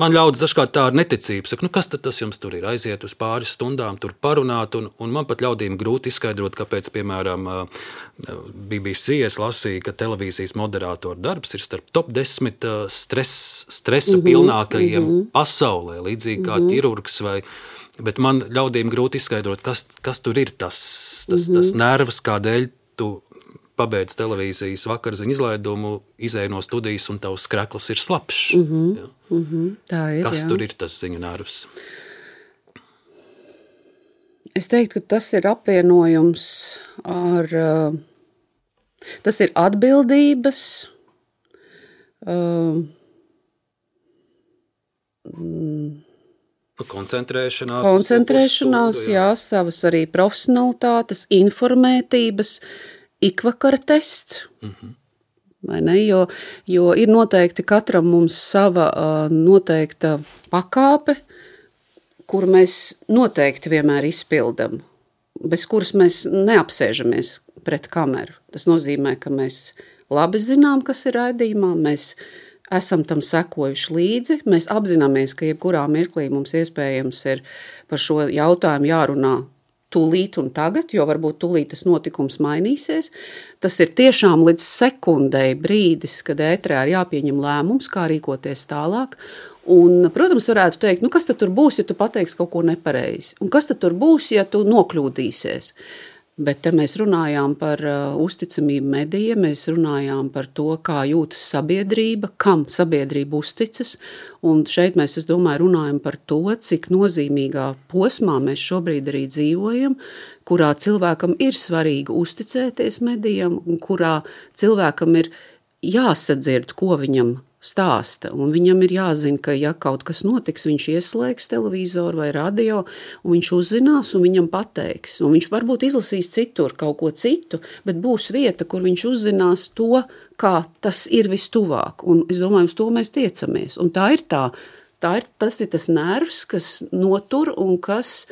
man ļaudis dažkārt tā ar neticību. Saka, nu kas tad tas jums tur ir? Aiziet uz pāris stundām, tur parunāt, un, un man pat ļaudīm grūti izskaidrot, kāpēc, piemēram, B B C es lasīju, ka televīzijas moderātora darbs ir starp top desmit stres, stresa mm-hmm, pilnākajiem mm-hmm. pasaulē, līdzīgi kā mm-hmm. ķirurgs vai... Bet man ļaudīm grūti izskaidrot, kas, kas tur ir tas, tas, mm-hmm. tas nervs, kādēļ tu pabeidz televīzijas vakarziņu izlaidumu, izēj no studijas un tavs skreklis ir slapšs. Mm-hmm. Mm-hmm. Tā ir, Kas jā. tur ir tas ziņu nervs? Es teiktu, ka tas ir apvienojums ar... Tas ir atbildības... Uh, mm, koncentrēšanās. Koncentrēšanās, uzsūdu, jā. jā, savas arī profesionalitātes, informētības, ikvakara tests. Mm-hmm. Vai ne? Jo, jo ir noteikti katram mums sava uh, noteikta pakāpe, kuru mēs noteikti vienmēr izpildam, bez kuras mēs neapsēžamies pret kameru. Tas nozīmē, ka mēs labi zinām, kas ir raidījumā, mēs esam tam sekojuši līdzi, mēs apzināmies, ka jebkurā mirklī mums iespējams ir par šo jautājumu jārunā tūlīt un tagad, jo varbūt tūlīt tas notikums mainīsies. Tas ir tiešām līdz sekundei brīdis, kad ētrā ir jāpieņem lēmums, kā rīkoties tālāk. Un, protams, varētu teikt, nu kas tad tur būs, ja tu pateiksi kaut ko nepareizi? Un kas tad tur būs, ja tu nokļūdīsies? Bet te mēs runājām par uh, uzticamību medijiem, mēs runājām par to, kā jūtas sabiedrība, kam sabiedrība uzticas, un šeit mēs, es domāju, runājam par to, cik nozīmīgā posmā mēs šobrīd arī dzīvojam, kurā cilvēkam ir svarīgi uzticēties medijam, un kurā cilvēkam ir jāsadzird, ko viņam stāsta, un viņam ir jāzina, ka ja kaut kas notiks, viņš ieslēgs televizoru vai radio, un viņš uzzinās, un viņam pateiks, un viņš varbūt izlasīs citur kaut ko citu, bet būs vieta, kur viņš uzzinās to, kā tas ir vistuvāk, un es domāju, uz to mēs tiecamies, un tā ir tā, tā ir, tas ir tas nervs, kas notur un kas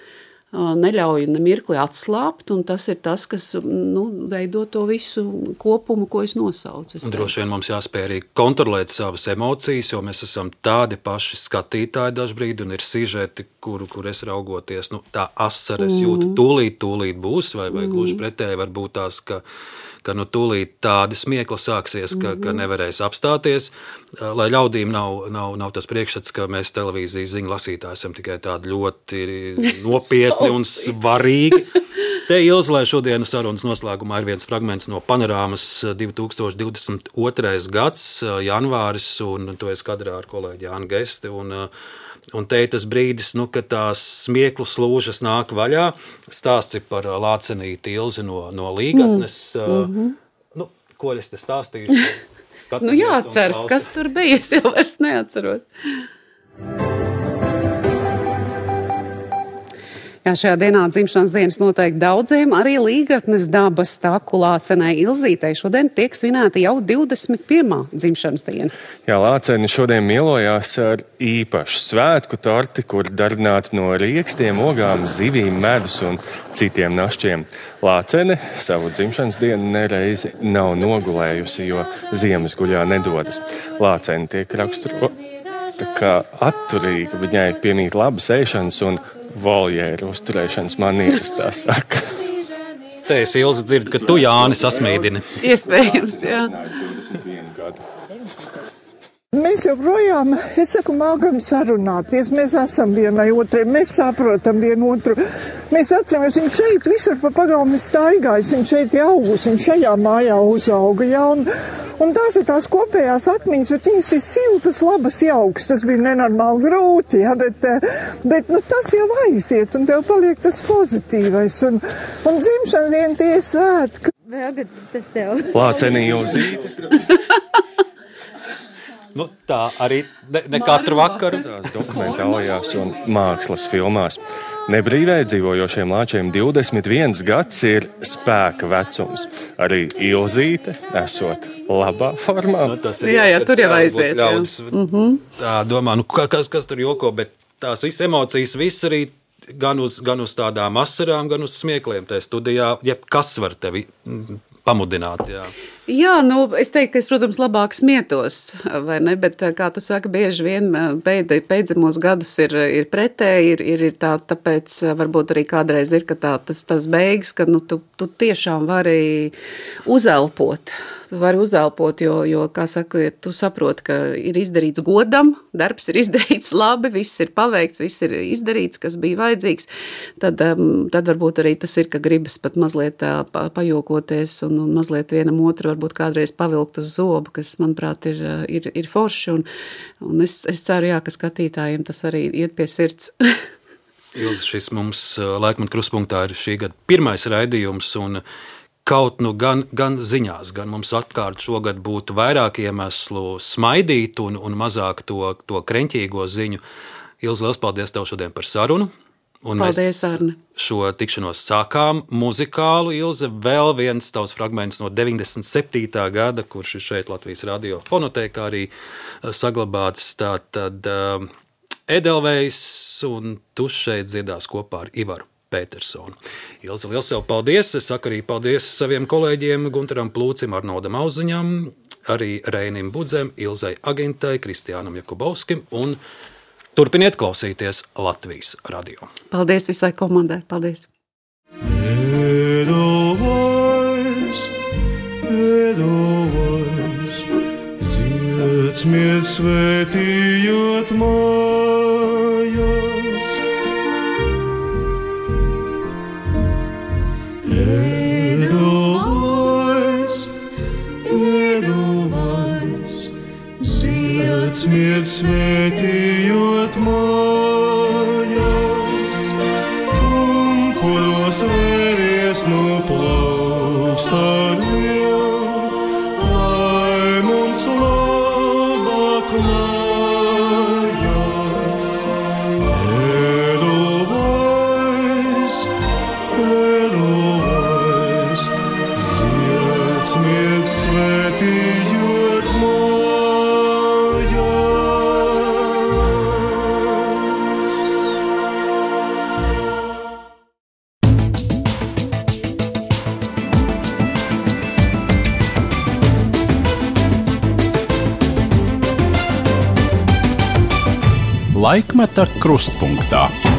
neļauj nemirkli atslāpt, un tas ir tas, kas nu, veido to visu kopumu, ko es nosaucu. Es droši vien mums jāspēj arī kontrolēt savas emocijas, jo mēs esam tādi paši skatītāji dažbrīd, un ir sižeti, kuru, kur es raugoties, nu, tā asaras mm. jūtu, tūlīt, tūlīt būs, vai, vai mm. gluži pretēji var būt tās, ka ka nu tūlīt tādi smiekli sāksies, ka, mm-hmm. ka nevarēs apstāties, lai ļaudīm nav, nav, nav tas priekšstats, ka mēs televīzijas ziņu lasītāji esam tikai tādi ļoti nopietni un svarīgi. Te Ilze, lai šodienas sarunas noslēgumā ir viens fragments no panorāmas divi tūkstoši divdesmit otrais gads, janvāris, un to es kadrā ar kolēģi Jānu Gesti, un Un te ir tas brīdis, nu, kad tās smieklu slūžas nāk vaļā. Stāsts ir par Lācenīti Ilzi no, no Līgatnes. Mm-hmm. Nu, ko es te stāstīšu? Nu jāatceras, kas tur bija, es jau vairs neatceros. Jā, šajā dienā dzimšanas dienas noteikti daudziem, arī Līgatnes dabas taku Lācenei Ilzītei šodien tiek svinēta jau divdesmit pirmā dzimšanas diena. Jā, Lāceni šodien mielojās ar īpašu svētku torti, kur darbināti no riekstiem, ogām, zivīm, medus un citiem našķiem. Lācene savu dzimšanas dienu nereizi nav nogulējusi, jo ziemas guļā nedodas. Lācene tiek raksturota kā atturīga, viņai piemīt labas ēšanas un voljēru uzturēšanas manieres, tā saka. Te es Ilzi dzirdu, ka tu, Jāni, sasmīdini. Iespējams, jā. Mēs joprojām, es saku, mākam sarunāties, mēs esam vienai otrai, mēs saprotam vienu otru. Mēs atceramies, viņš šeit visur pa pagalmi staigājis, viņš šeit augus, viņš šajā mājā uzauga, jā, un, un tās ir tās kopējās atmiņas, bet viņas ir siltas, labas, jauks, tas bija nenormāli grūti, jā, bet, bet nu, tas jau aiziet, un tev paliek tas pozitīvais, un, un dzimšanas diena tie svētki. Vēl, kad tas tev. Lācenī Ilzīte. Nu, tā arī ne, ne katru vakaru. Tās dokumentālajās un mākslas filmās. Nebrīvē dzīvojošiem lāčiem divdesmit viens gads ir spēka vecums. Arī Ilzīte esot labā formā. Nu, tas ir jā, jā, tur jau aiziet. Ļaudis, mm-hmm. Tā domā, nu kas, kas tur joko, bet tās visas emocijas, viss arī gan uz, gan uz tādām asarām, gan uz smiekliem tajā studijā, jeb kas var tevi pamudināt, jā. Jā, nu, es teiktu, ka es, protams, labāk smietos, vai ne, bet, kā tu saki, bieži vien beid, beidzamos gadus ir, ir pretēji, ir, ir, ir tā, tāpēc varbūt arī kādreiz ir, ka tā, tas, tas beigas, ka, nu, tu, tu tiešām vari uzelpot, tu vari uzelpot, jo, jo, kā saka, tu saproti, ka ir izdarīts godam, darbs ir izdarīts labi, viss ir paveikts, viss ir izdarīts, kas bija vajadzīgs, tad, tad varbūt arī tas ir, ka gribas pat mazliet pajokoties un, un mazliet vienam otru varbūt kādreiz pavilkt uz zobu, kas, manuprāt, ir, ir, ir forši, un, un es, es ceru, jā, ka skatītājiem tas arī iet pie sirds. Ilze, šis mums Laikmeta Krustpunktā ir šī gada pirmais raidījums, un kaut nu gan, gan ziņās, gan mums atkārt šogad būtu vairāk iemeslu smaidīt un, un mazāk to, to kreņķīgo ziņu. Ilze, liels paldies tev šodien par sarunu. Un paldies, mēs Arne. Šo tikšanos sākām muzikālu, Ilze, vēl viens tavs fragments no deviņdesmit septītā gada, kurš ir šeit Latvijas radio fonotēkā arī saglabāts. Tātad uh, Edelvejs, un tu šeit dziedās kopā ar Ivaru Petersonu. Ilze, liels tev paldies. Es saku arī paldies saviem kolēģiem Guntaram Plūcim, Arnoldam Auziņam, arī Reinim Budzem, Ilzei Agintai, Kristiānam Jakubovskim un turpiniet klausīties Latvijas radio. Paldies visai komandai. Paldies. Edelveiss, Edelveiss, dziedzmiet svētījot mājās. Edelveiss, Edelveiss, dziedzmiet svētījot mājās, kumpuļos vēries no plaukstāriem, lai mums labāk mājās. Edelveiss, Edelveiss, dziedzmiet svētījot mājās. Laikmeta Krustpunktā.